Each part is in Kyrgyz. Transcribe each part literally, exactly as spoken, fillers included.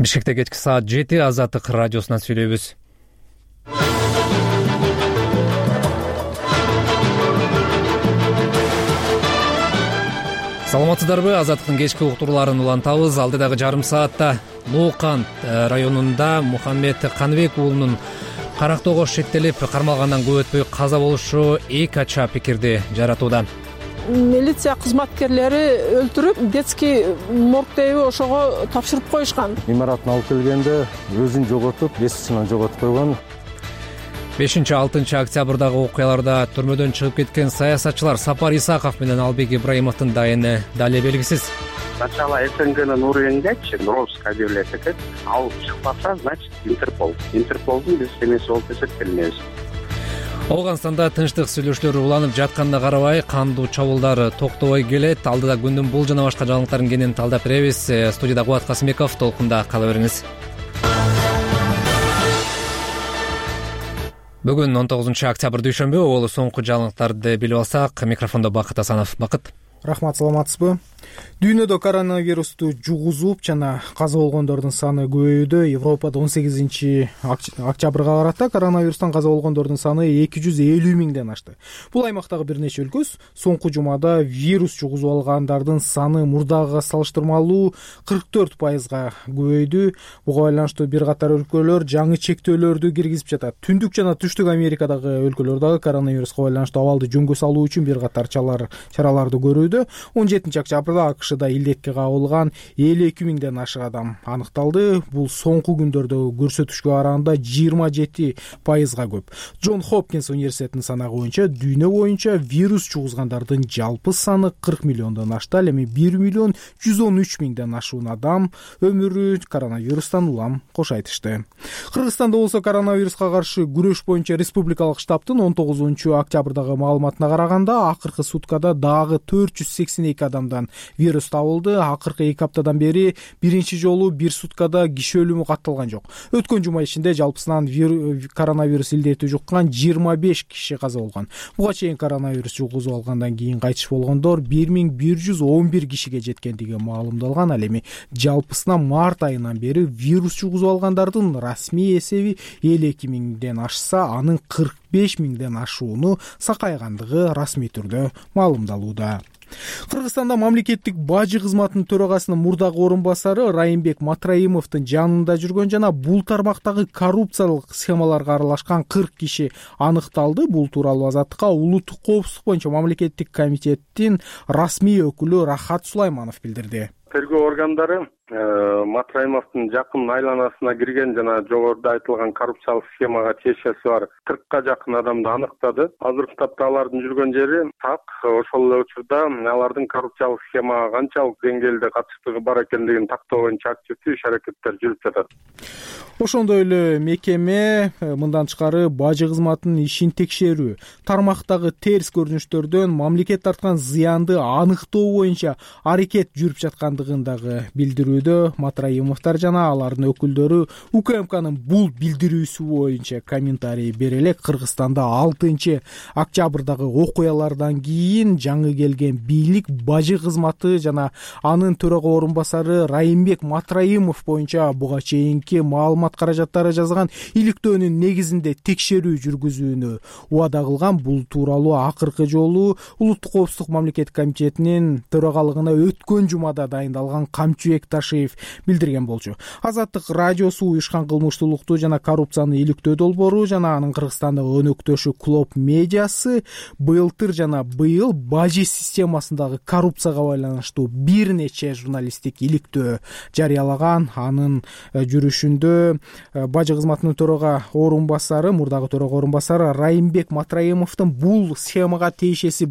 Бишкекте кечки саат жети Азаттык радиосунан сүйлөйбүз. Саламатсыздарбы? Азаттыктын кечки уктурууларын улантабыз. Алдыдагы жарым саатта Лоокан районунда Мухаммед Каныбек уулунун карактоого шектелип кармалгандан көп өтпөй каза болушу эки ача пикирди жаратууда. Милиция кызматкерлери өлтүрүп, детский моргтеби ошого тапшырып коюшкан. Имаратын алып келгенде өзүн жоготуп, эсичинен жоготуп койгон. бешинчи алтынчы октябрдагы окуяларда түрмөдөн чыгып кеткен саясатчылар Сапар Исаков менен Албек Ибраимовдун дайыны дале белгисиз. Сначала СНГнын уровеньгечи Нуровская объявлять этет, ал чыкпаса, значит Интерпол. Интерполдун биз эмеси болуп эсептелинебиз. Оогунстанда тынчтык сүйлөшүүлөр уланып жатканына карабай, кандуу чабуулдар токтобой келет. Алдыда күндүн бул жана башка жаңылыктарын кенен талдап беребиз. Студияда Кубат Касымбеков, толкунда кала бериңиз. Бүгүн он тогузунчу октябрь дүйшөмбү, ол соңку жаңылыктарды билип алсак, микрофондо Бакыт Асанов. Бакыт. Рахмат, саламатсызбы? Дүйнөдө коронавирусту жугузуп жана каза болгондордун саны көбөйүүдө. Европада он сегизинчи октябрга карата коронавирустан каза болгондордун саны эки жүз элүү миңден ашты. Бул аймактагы бир нече өлкө соңку жумада вирус жугузуп алгандардын саны мурдагыга салыштырмалуу кырк төрт пайызга көбөйдү. Буга байланыштуу бир катар өлкөлөр жаңы чектөөлөрдү киргизип жатат. Түндүк жана түштүк Америкадагы өлкөлөр дагы коронавируска байланыштуу абалды жөнгө салуу үчүн бир катар чараларды көрүүдө. он жетинчи октябрда АКШда илдетке кабылган элүү эки миңден ашык адам аныкталды. Бул соңку күндөрдө көрсөтүшкө караганда жыйырма жети пайызга көп. Джон Хопкинс университетинин санагы боюнча дүйнө боюнча вирус жугузгандардын жалпы саны кырк миллиондон ашты. Ал эми бир миллион жүз он үч миңден ашуун адам өмүрү коронавирустан улам кош айтышты. Кыргызстанда болсо коронавируска каршы күрөш боюнча республикалык штабтын он тогузунчу октябрдагы маалыматына караганда, акыркы суткада дагы төрт жүз сексен эки адамдан вирус табылды. Акыркы эки аптадан бери биринчи жолу бир суткада киши өлүмү катталган жок. Өткөн жума ичинде жалпысынан коронавирус илдети жуккан жыйырма беш киши каза болгон. Буга чейин коронавирус жугузуп алгандан кийин кайтыш болгондор бир миң бир жүз он бир кишиге жеткендиги маалымдалган. Ал эми жалпысынан март айынан бери вирус жугузуп алгандардын расмий эсеби элүү эки миңден ашса, анын кырк беш миңден ашууну сакайгандыгы расмий түрдө маалымдалууда. Кыргызстанда мамлекеттик бажы кызматынын төрагасынын мурдагы орун басары Райымбек Матраимовдун жанында жүргөн жана бул тармактагы коррупциялык схемаларга аралашкан кырк киши аныкталды. Бул тууралуу Азаттыкка улуттук коопсуздук боюнча мамлекеттик комитеттин расмий өкүлү Рахат Сулайманов билдирди. Тергөө органдары Матраимовдун жакын айланасына кирген жана жогоруда айтылган коррупциялык схемага тиешеси бар кыркка жакын адамды аныктады. Азыркы тапта алардын жүргөн жери так. Ошол эле учурда алардын коррупциялык схемага канчалык деңгээлде катыштыгы бар экендигин тактоо боюнча активдүү иш-аракеттер жүрүп жатат. Ошондой эле мекеме мындан тышкары бажы кызматынын ишин текшерүү, тармактагы терс көрүнүштөрдөн мамлекет тарткан зыянды аныктоо боюнча аракет жүрүп жаткандыгын дагы билдирүүдө. Матраимовдор жана алардын өкүлдөрү УКМКнын бул билдирүүсү боюнча комментарий бере элек. Кыргызстанда алтынчы октябрдагы окуялардан кийин жаңы келген бийлик бажы кызматы жана анын төрага орун басары Райымбек Матраимов боюнча буга чейинки маалымат каражаттары жазган иликтөөнүн негизинде текшерүү жүргүзүүнү убада кылган. Бул тууралуу акыркы жолу улуттук коопсуздук мамлекеттик комитетинин төрагалыгына өткөн жумада дайындалган Камчыбек Ташиев билдирген болчу. Азаттык радиосу уюшкан кылмыштуулукту жана коррупцияны иликтөө долбоору жана анын Кыргызстандагы өнөктөшү Клоп медиасы былтыр жана быйыл бажы системасындагы коррупцияга байланыштуу бир нече журналисттик иликтөө жарыялаган. Анын жүрүшүндө бажы кызматынын төрага орун басары, мурдагы төрага орун басары Райымбек Матраимовдун бул схемага тиешеси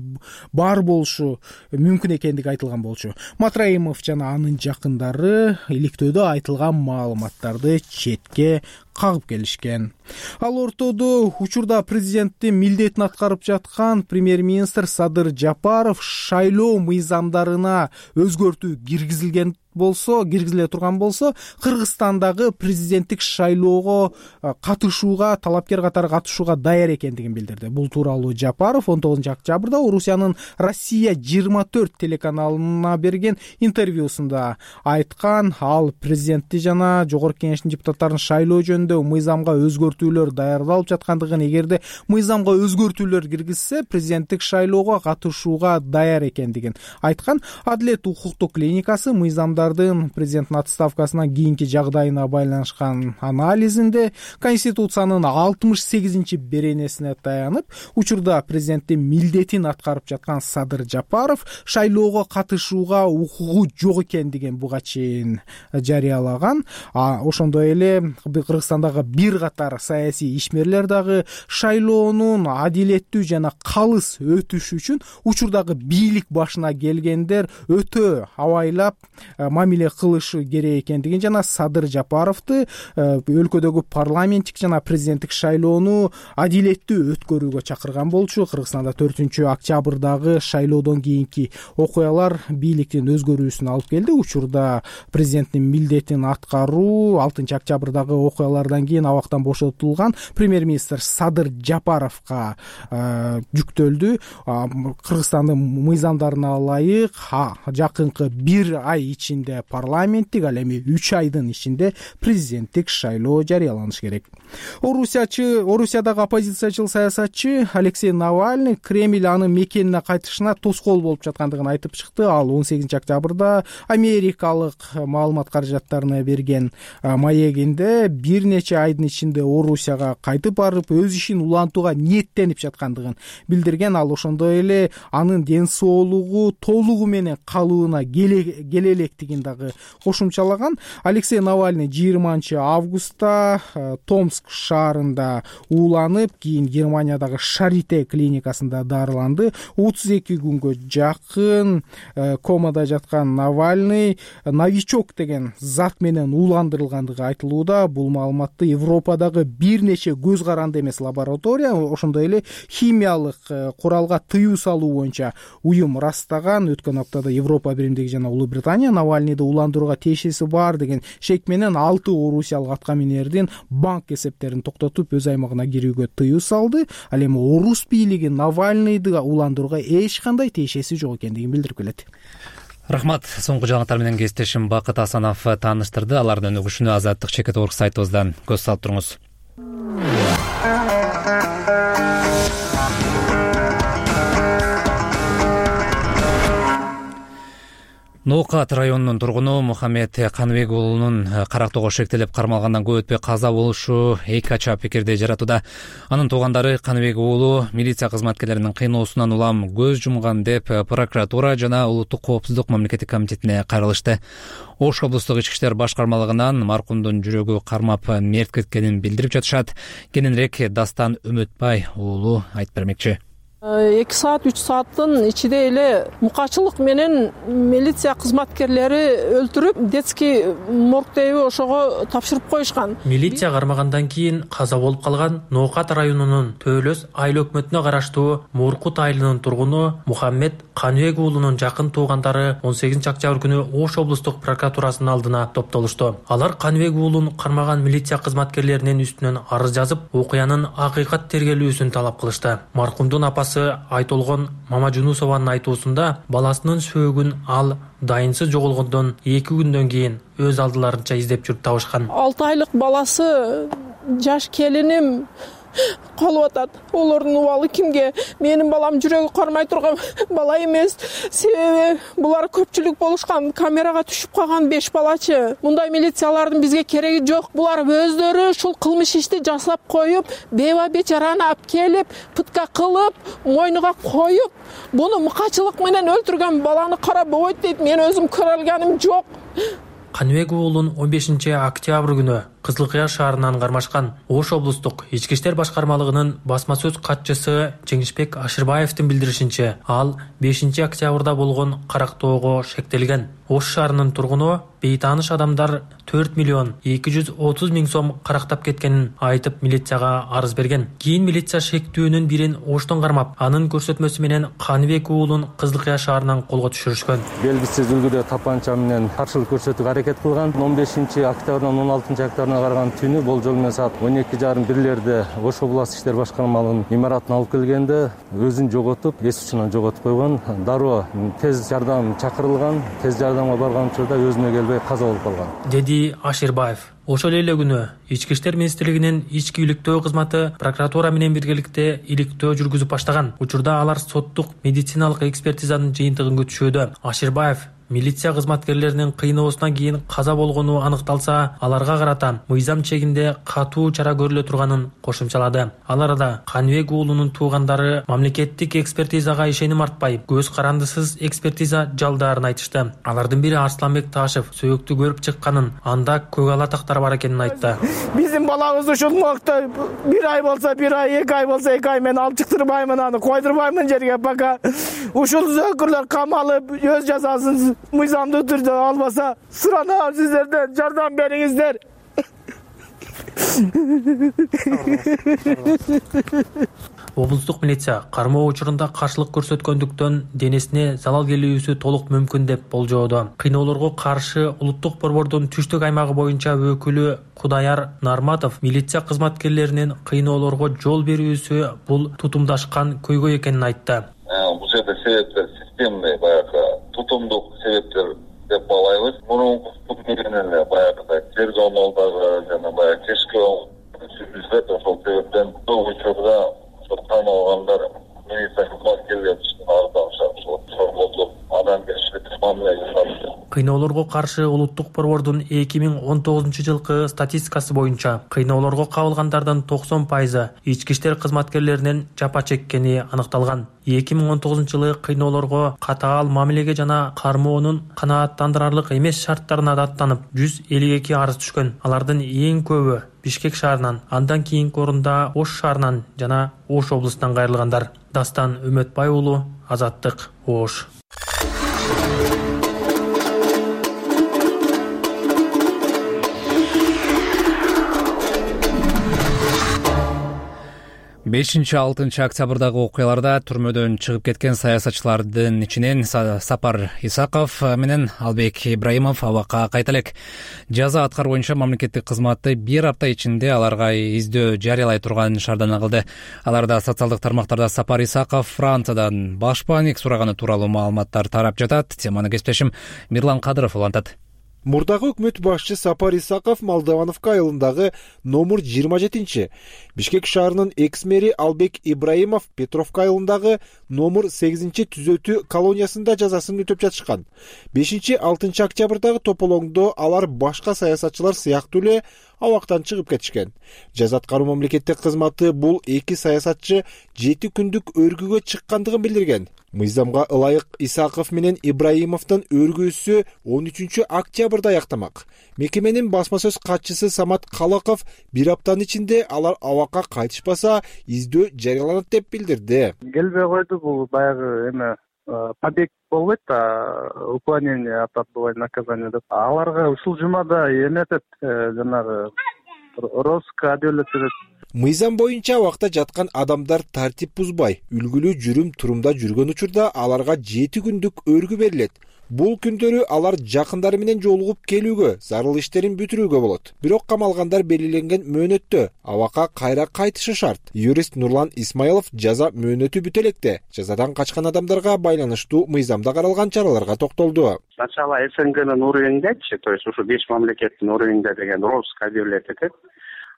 бар болушу мүмкүн экендиги айтылган болчу. Матраимов жана анын жакындары иликтөөдө айтылган маалыматтарды четке кагып келишкен. Ал ортодо учурда президенттин милдетин аткарып жаткан премьер-министр Садыр Жапаров шайлоо мыйзамдарына өзгөртүү киргизилген болсо, киргизиле турган болсо, Кыргызстандагы президенттик шайлоого катышууга, талапкер катары катышууга даяр экендигин билдирди. Бул тууралуу Жапаров он тогузунчу октябрда Орусиянын Россия жыйырма төрт телеканалына берген интервьюсунда айткан. Ал президентти жана жогорку кеңештин депутаттарын шайлоо жөнүндө мыйзамга өзгөртүүлөр даярдалып жаткандыгын, эгерде мыйзамга өзгөртүүлөр киргизсе, президенттик шайлоого катышууга даяр экендигин айткан. Адилет укуктук клиникасы мыйзамдардын президенттин отставкасына кийинки жагдайына байланышкан анализинде Конституциянын алтымыш сегизинчи беренесине таянып, учурда президенттин милдетин аткарып жаткан Садыр Жапаров шайлоого катышууга укугу жок экендигин буга чейин жарыялаган. А ошондой эле Кыргызстандагы бир катар саясий ишмерлер дагы шайлоонун адилеттүү жана калыс өтүшү үчүн учурдагы бийлик башына келгендер өтө абайлап мамиле кылышы керек экендигин жана Садыр Жапаровду өлкөдөгү парламенттик жана президенттик шайлоону адилеттүү өткөрүүгө чакырган болчу. Кыргызстанда төртүнчү октябрдагы шайлоодон кийинки окуялар бийликтин өзгөрүүсүнө алып келди. Учурда президенттин милдетин аткаруу алтынчы октябрдагы окуялардан кийин абактан бошотулган премьер-министр Садыр Жапаровго жүктөлдү. Кыргызстандын мыйзамдарына ылайык жакынкы бир ай ичинде парламенттик, ал эми үч айдын ичинде президенттик шайлоо жарыяланышы керек. Орусиячы, Орусиядагы оппозициячыл саясатчы Алексей Навальный Кремль анын мекенине кайтышына тоскоол болуп жаткандыгын айтып чыкты. Ал он сегизинчи октябрда америкалык маалымат каражаттарына берген маегинде бир нече айдын ичинде Орусияга кайтып барып, өз ишин улантууга ниеттенип жаткандыгын билдирген. Ал ошондой эле анын ден соолугу толугу менен калыбына келе электигин дагы кошумчалаган. Алексей Навальный жыйырманчы августта Томск шаарында ууланып, кийин Германиядагы Шарите клиникасында дарыланды. отуз эки күнгө жакын комада жаткан Навальный новичок деген зат менен ууландырылгандыгы айтылууда. Бул маалыматты Европадагы бир нече көз каранды эмес лаборатория, ошондой эле химиялык куралга тыюу салуу боюнча уюм ырастаган. Өткөн аптада Европа биримдиги жана Улуу Британия Навальныйды уландырууга тиешеси бар деген шек менен алты орусиялык атка минердин банк эсептерин токтотуп, өз аймагына кирүүгө тыюу салды. Ал эми орус бийлиги Навальныйды уландырууга эч кандай тиешеси жок экендигин билдирип келет. Рахмат. Соңку жаңылыктар менен кесиптешим Бакыт Асанов тааныштырды. Алардын өнүгүшүнө Азаттык чекит орг сайтыбыздан көз салып туруңуз. Ноокат районунун тургуну Мухаммед Каныбек уулунун карактоого шектелип кармалгандан көп өтпөй каза болушу эки ача пикирди жаратууда. Анын туугандары Каныбек уулу милиция кызматкерлеринин кыйноосунан улам көз жумган деп прокуратура жана улуттук коопсуздук мамлекеттик комитетине кайрылышты. Ош облустук ички иштер башкармалыгынан маркумдун жүрөгү кармап мерт кеткенин билдирип жатышат. Кененирээк Дастан Үмөтбай уулу айтып бермекчи. эки саат үч сааттын ичинде эле мукачылык менен милиция кызматкерлери өлтүрүп, детский моргтеби ошого тапшырып коюшкан. Милиция кармагандан кийин каза болуп калган Ноокат районунун Төөлөс айыл өкмөтүнө караштуу Муркут айылынын тургуну Мухаммед Каныбек уулунун жакын туугандары он сегизинчи октябрь күнү Ош облустук прокуратурасынын алдына топтолушту. Алар Каныбек уулун кармаган милиция кызматкерлеринин үстүнөн арыз жазып, окуянын акыйкат тергелүүсүн талап кылышты. Маркумдун апасы Айтолгон Мамажунусованын айтуусунда баласынын сөөгүн ал дайынсыз жоголгондон эки күндөн кийин өз алдыларынча издеп жүрүп табышкан. алты айлык баласы, жаш келиним калып атат. Олордун убалы кимге? Менин балам жүрөгү кармай турган бала эмес. Себеби булар көпчүлүк болушкан, камерага түшүп калган беш балачы. Мындай милициялардын бизге кереги жок. Булар өздөрү ушул кылмыш ишти жасап коюп, беба бечараны алып келип, пытка кылып, мойнуга коюп, буну мукачылык менен өлтүргөн баланы карап ойт дейт. Мен өзүм көрө алганым жок. Каныбек уулун он бешинчи октябрь күнү Кызыл Кыя шаарынан кармашкан. Ош облустук ички иштер башкармалыгынын басма сөз катчысы Жеңишбек Ашырбаевдин билдиришинче, ал бешинчи октябрда болгон карактоого шектелген. Ош шаарынын тургуну бейтааныш адамдар төрт миллион эки жүз отуз миң сом карактап кеткенин айтып милицияга арыз берген. Кийин милиция шектүүнүн бирин Оштон кармап, анын көрсөтмөсү менен Каныбек уулун Кызыл Кыя шаарынан колго түшүрүшкөн. Белгисиз үлгүдө тапанча менен каршылык көрсөтүүгө аракет кылган. он бешинчи октябрдан он алтынчы октябрына караган түнү болжол менен саат он эки жарым бирлерде Ош областык иштер башкармалыгынын имаратына алып келгенде өзүн жоготуп, эс учунан жоготуп койгон. Дароо тез жардам чакырылган. Тез жардамга барган учурда өзүнө келбей каза болуп калган, деди Ашырбаев. Ошол эле күнү Ички иштер министрлигинин ички иликтөө кызматы прокуратура менен биргеликте иликтөө жүргүзүп баштаган. Учурда алар соттук медициналык экспертизанын жыйынтыгын күтүшүүдө. Ашырбаев милиция кызматкерлеринин кыйноосунан кийин каза болгону аныкталса, аларга карата мыйзам чегинде катуу чара көрүлө турганын кошумчалады. Ал арада Каныбек уулунун туугандары мамлекеттик экспертизага ишеним артпай, көз карандысыз экспертиза жалдаарын айтышты. Алардын бири Арсланбек Ташев сөөктү көрүп чыкканын, анда көк ала тактар бар экенин айтты. Биздин балабыз ушул убакта бир ай болсо бир ай, эки ай болсо эки ай мен алып чыктырбаймын, аны койдурбаймын жерге, пока ушул зөөкүрлөр камалып өз жазасын мыйзамдуу түрдө албаса, суранам сиздерден, жардам бериңиздер. Облустук милиция кармоо учурунда каршылык көрсөткөндүктөн денесине залал келүүсү толук мүмкүн деп болжоодо. Кыйноолорго каршы улуттук борбордун түштүк аймагы боюнча өкүлү Кудаяр Нарматов милиция кызматкерлеринин кыйноолорго жол берүүсү бул тутумдашкан көйгөй экенин айтты. Бул жерде себептер системный, баягы тутумдук себептер деп балайбыз. Мурунку менен эле баягы тергөө малдагы жана баягы кечки сүйлөшүп, ошол себептен бул учурда кармалгандар милиция кызматкерлеринин ардагышат. Ошол болуп адамгерчилик мамиле жасалды. Кыйноолорго каршы улуттук борбордун эки миң он тогузунчу жылкы статистикасы боюнча кыйноолорго кабылгандардын токсон пайызы ички иштер кызматкерлеринин жапа чеккени аныкталган. эки миң он тогузунчу жылы кыйноолорго катаал мамилеге жана кармоонун канааттандырарлык эмес шарттарына даттанып жүз элүү эки арыз түшкөн. Алардын эң көбү Бишкек шаарынан, андан кийинки орунда Ош шаарынан жана Ош облусунан кайрылгандар. Дастан Үмөтбай уулу, Азаттык, Ош. бешинчи алтынчы октябрдагы окуяларда түрмөдөн чыгып кеткен саясатчылардын ичинен Сапар Исаков менен Албек Ибраимов абакка кайта элек. Жаза аткаруу боюнча мамлекеттик кызматты бир апта ичинде аларга издөө жарыялай турган шаардана кылды. Аларда социалдык тармактарда Сапар Исаков Франциядан баш бааник сураганы тууралуу маалыматтар тарап жатат. Теманы кесиптешим Мирлан Кадыров улантат. Мурдагы өкмөт башчы Сапар Исаков Молдовановка айылындагы номер жыйырма жетинчи, Бишкек шаарынын экс-мэри Албек Ибраимов Петровка айылындагы номер сегизинчи түзөтүү колониясында жазасын өтөп жатышкан. бешинчи алтынчы октябрдагы тополоңдо алар башка саясатчылар сыяктуу эле абактан чыгып кетишкен. Жаза аткаруу мамлекеттик кызматы бул эки саясатчы жети күндүк өргүгө чыккандыгын билдирген. Мыйзамга ылайык Исаков менен Ибраимовдун өргүүсү он үчүнчү октябрда аяктамак. Мекеменин басма сөз катчысы Самат Калаков бир аптанын ичинде алар абакка кайтышпаса издөө жарыяланат деп билдирди. Келбей койду, бул баягы эме побег болбойт да, уклонение от отбывания наказания деп. Аларга ушул жумада эметет, жанагы розыск адилеттет. Мыйзам боюнча абакта жаткан адамдар тартип бузбай, үлгүлүү жүрүм турумда жүргөн учурда аларга жети күндүк өргү берилет. Бул күндөрү алар жакындары менен жолугуп келүүгө, зарыл иштерин бүтүрүүгө болот. Бирок камалгандар белгиленген мөөнөттө абакка кайра кайтышы шарт. Юрист Нурлан Исмаилов жаза мөөнөтү бүтө электе жазадан качкан адамдарга байланыштуу мыйзамда каралган чараларга токтолду. Сначала СНГнын уровениндечи, то есть ушу беш мамлекеттин уровенинде деген розыск объявлять этет.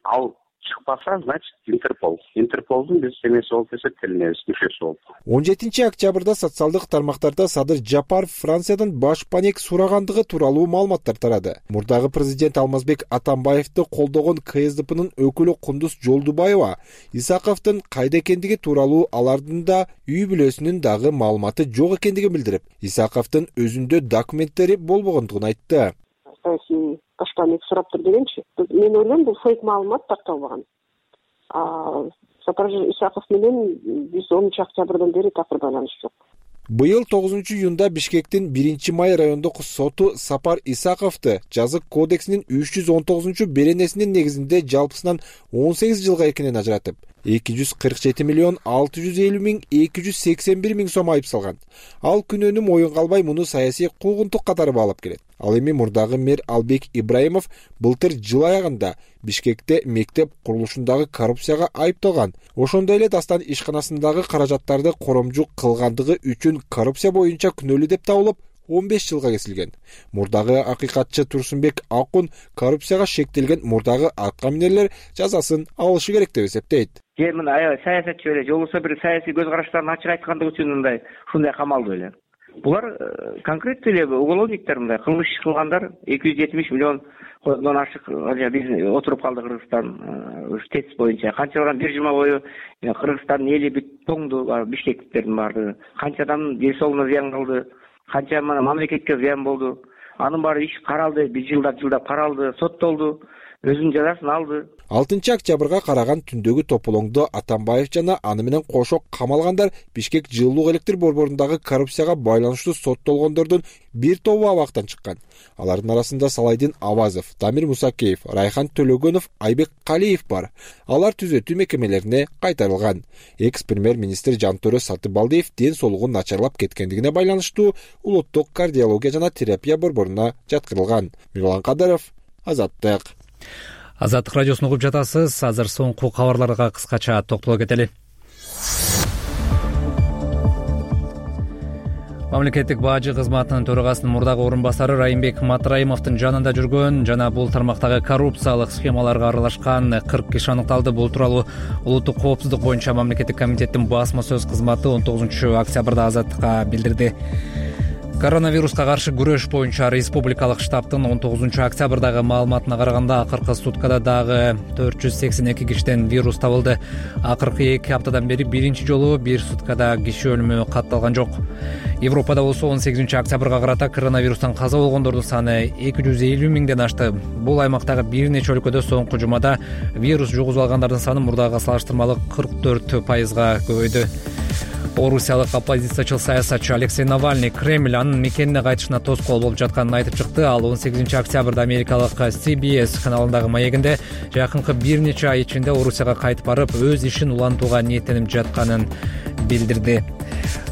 Ал чыкпаса, значит, Интерпол. Интерполдун биз эмеси болуп эсептелинебиз, мүчөсү болуп. он жетинчи октябрда социалдык тармактарда Садыр Жапаров Франциядан баш бааник сурагандыгы тууралуу маалыматтар тарады. Мурдагы президент Алмазбек Атамбаевди колдогон КСДПнын өкүлү Кундуз Жолдубаева Исаковдун кайда экендиги тууралуу алардын да үй бүлөсүнүн дагы маалыматы жок экендигин билдирип, Исаковдун өзүндө документтери болбогондугун айтты. Саясий башка эме сураптыр дегенчи. Мен ойлойм бул фейк маалымат такталбаган. Сапар Исаков менен биз онунчу октябрдан бери такыр байланыш жок. Быйыл тогузунчу июнда Бишкектин биринчи май райондук соту Сапар Исаковду жазык кодексинин үч жүз он тогузунчу беренесинин негизинде жалпысынан он сегиз жылга экинен ажыратып, эки жүз кырк жети миллион алты жүз элүү миң эки жүз сексен бир миң сом айып салган. Ал күнөөнү моюнга албай муну саясий куугунтук катары баалап келет. Ал эми мурдагы мэр Албек Ибраимов былтыр жыл аягында Бишкекте мектеп курулушундагы коррупцияга айыпталган. Ошондой эле Дастан ишканасындагы каражаттарды коромжу кылгандыгы үчүн коррупция боюнча күнөөлүү деп табылып, он беш жылга кесилген. Мурдагы акыйкатчы Турсунбек Акун коррупцияга шектелген мурдагы аткаминерлер жазасын алышы керек деп эсептейт. Же мына аябай саясатчы эле, же болбосо бир саясий көз караштарын ачык айткандыгы үчүн мындай ушундай камалды эле. Булар конкреттүү эле уголовниктер, мындай кылмыш кылгандар. эки жүз жетимиш миллиондон ашык биз отуруп калды Кыргызстан тест боюнча. Канчадан бир жума бою Кыргызстандын эли бүт тоңду, бишкектиктердин баардыгы. Канча адамдын ден соолугуна зыян калды, канча мамлекетке зыян болду. Анын баары иш каралды, бир жылдап жылдап каралды, соттолду, өзүнүн жазасын алды. алтынчы октябрга караган түндөгү тополоңдо Атамбаев жана аны менен кошо камалгандар Бишкек жылуулук электр борборундагы коррупцияга байланыштуу соттолгондордун бир тобу абактан чыккан. Алардын арасында Салайдин Авазов, Дамир Мусакеев, Райхан Төлөгөнов, Айбек Калиев бар. Алар түзөтүү мекемелерине кайтарылган. Экс-премьер-министр Жантөрө Сатыбалдиев ден соолугу начарлап кеткендигине байланыштуу улуттук кардиология жана терапия борборуна жаткырылган. Мирлан Кадыров, Азаттык. Азаттык радиосун угуп жатасыз. Азыр соңку кабарларга кыскача токтоло кетели. Мамлекеттик бажы кызматынын төрагасынын мурдагы орун басары Райымбек Матраимовдун жанында жүргөн жана бул тармактагы коррупциялык схемаларга аралашкан кырк киши аныкталды. Бул тууралуу улуттук коопсуздук боюнча мамлекеттик комитеттин басма сөз кызматы он тогузунчу октябрда Азаттыкка билдирди. Коронавируска каршы күрөш боюнча республикалык штабтын он тогузунчу октябрдагы маалыматына караганда акыркы суткада дагы төрт жүз сексен эки кишиден вирус табылды. Акыркы эки аптадан бери биринчи жолу бир суткада киши өлүмү катталган жок. Европада болсо он сегизинчи октябрга карата коронавирустан каза болгондордун саны эки жүз элүү миңден ашты. Бул аймактагы бир нече өлкөдө соңку жумада вирус жугузуп алгандардын саны мурдагыга салыштырмалуу кырк төрт пайызга көбөйдү. Орусиялык оппозициячыл саясатчы Алексей Навальный Кремль анын мекенине кайтышына тоскоол болуп жатканын айтып чыкты. Ал он сегизинчи октябрда америкалык Си Би Эс каналындагы маегинде жакынкы бир нече ай ичинде Орусияга кайтып барып, өз ишин улантууга ниеттенип жатканын билдирди.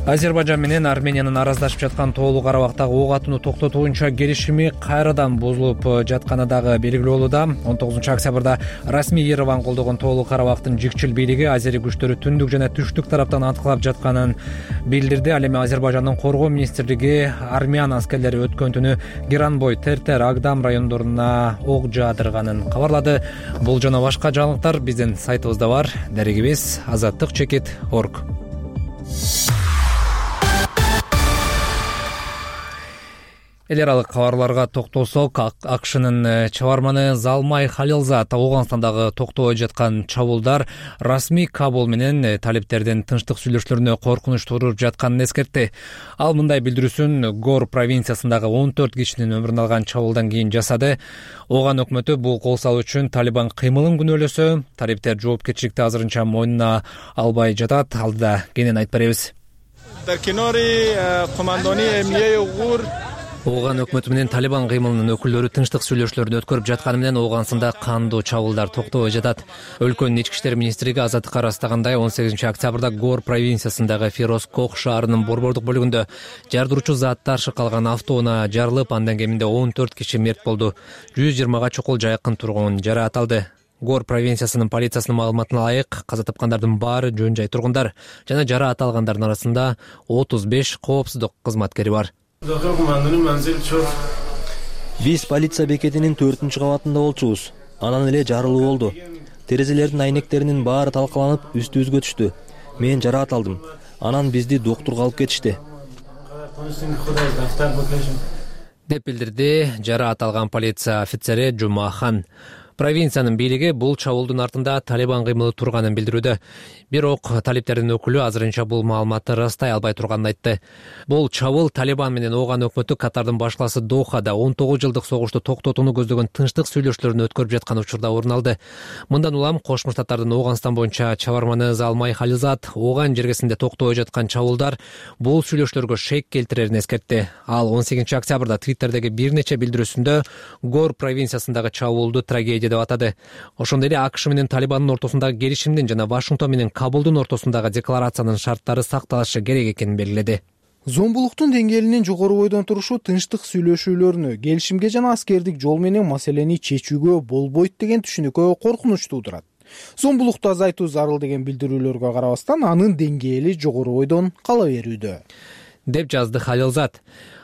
Азербайжан менен Армениянын араздашып жаткан Тоолуу Карабактагы ок атууну токтотуунча келишими кайрадан бузулуп жатканы дагы белгилүү болууда. он тогузунчу октябрда расмий Ереван колдогон Тоолуу Карабактын жикчил бийлиги азери күчтөрү түндүк жана түштүк тараптан аткылап жатканын билдирди. Ал эми Азербайжандын коргоо министрлиги армян аскерлери өткөн түнү Геранбой, Тертер, Агдам райондоруна ок жаадырганын кабарлады. Бул жана башка жаңылыктар биздин сайтыбызда бар. Дарегибиз азаттык чекит точка орг. Эл аралык кабарларга токтолсок, АКШнын чабарманы Залмай Халилзад Ооганстандагы токтобой жаткан чабуулдар расмий Кабул менен талиптердин тынчтык сүйлөшүүлөрүнө коркунуч тууруп жатканын эскертти. Ал мындай билдирүүсүн Гор провинциясындагы он төрт кишинин өмүрүн алган чабуулдан кийин жасады. Ооган өкмөтү бул кол салуу үчүн Талибан кыймылын күнөөлөсө, талиптер жоопкерчиликти азырынча мойнуна албай жатат. Алдыда кенен айтып беребиз. Ооган өкмөтү менен Талибан кыймылынын өкүлдөрү тынчтык сүйлөшүүлөрүн өткөрүп жатканы менен Ооганстанда кандуу чабуулдар токтобой жатат. Өлкөнүн ички иштер министрлиги азаттыкка ырастагандай он сегизинчи октябрда Гор провинциясындагы Фирозкох шаарынын борбордук бөлүгүндө жардыруучу заттар шыкалган автоунаа жарылып, андан кеминде он төрт киши мерт болду. жүз жыйырмага чукул жайкын тургун жараат алды. Гор провинциясынын полициясынын маалыматына ылайык, каза тапкандардын баары жөн жай тургундар жана жараат алгандардын арасында отуз беш коопсуздук кызматкери бар. Биз полиция бекетинин төртүнчү кабатында болчубуз. Анан эле жарылуу болду. Терезелердин айнектеринин баары талкаланып, үстүбүзгө түштү. Мен жараат алдым. Анан бизди доктурга алып кетишти. Деп билдирди жараат алган полиция офицери Жумахан. Провинциянын бийлиги бул чабуулдун артында Талибан кыймылы турганын билдирүүдө. Бирок талиптердин өкүлү азырынча бул маалыматты ырастай албай турганын айтты. Бул чабуул Талибан менен Ооган өкмөтү Катардын башкаласы Дохада он тогуз жылдык согушту токтотууну көздөгөн тынчтык сүйлөшүүлөрүн өткөрүп жаткан учурда орун алды. Мындан улам Кошмо Штаттардын Ооганстан боюнча чабарманы Залмай Хализат Ооган жергесинде токтобой жаткан чабуулдар бул сүйлөшүүлөргө шек келтирерин эскертти. Ал он сегизинчи октябрда Твиттердеги бир нече билдирүүсүндө Гор провинциясындагы чабуулду трагедия деп атады. Ошондой эле АКШ менен Талибандын ортосундагы келишимдин жана Вашингтон менен Кабулдун ортосундагы декларациянын шарттары сакталышы керек экенин белгиледи. Зомбулуктун деңгээлинин жогору бойдон турушу тынчтык сүйлөшүүлөрүнө, келишимге жана аскердик жол менен маселени чечүүгө болбойт деген түшүнүккө коркунуч туудурат. Зомбулукту азайтуу зарыл деген билдирүүлөргө карабастан анын деңгээли жогору бойдон кала берүүдө, деп жазды Халилзат.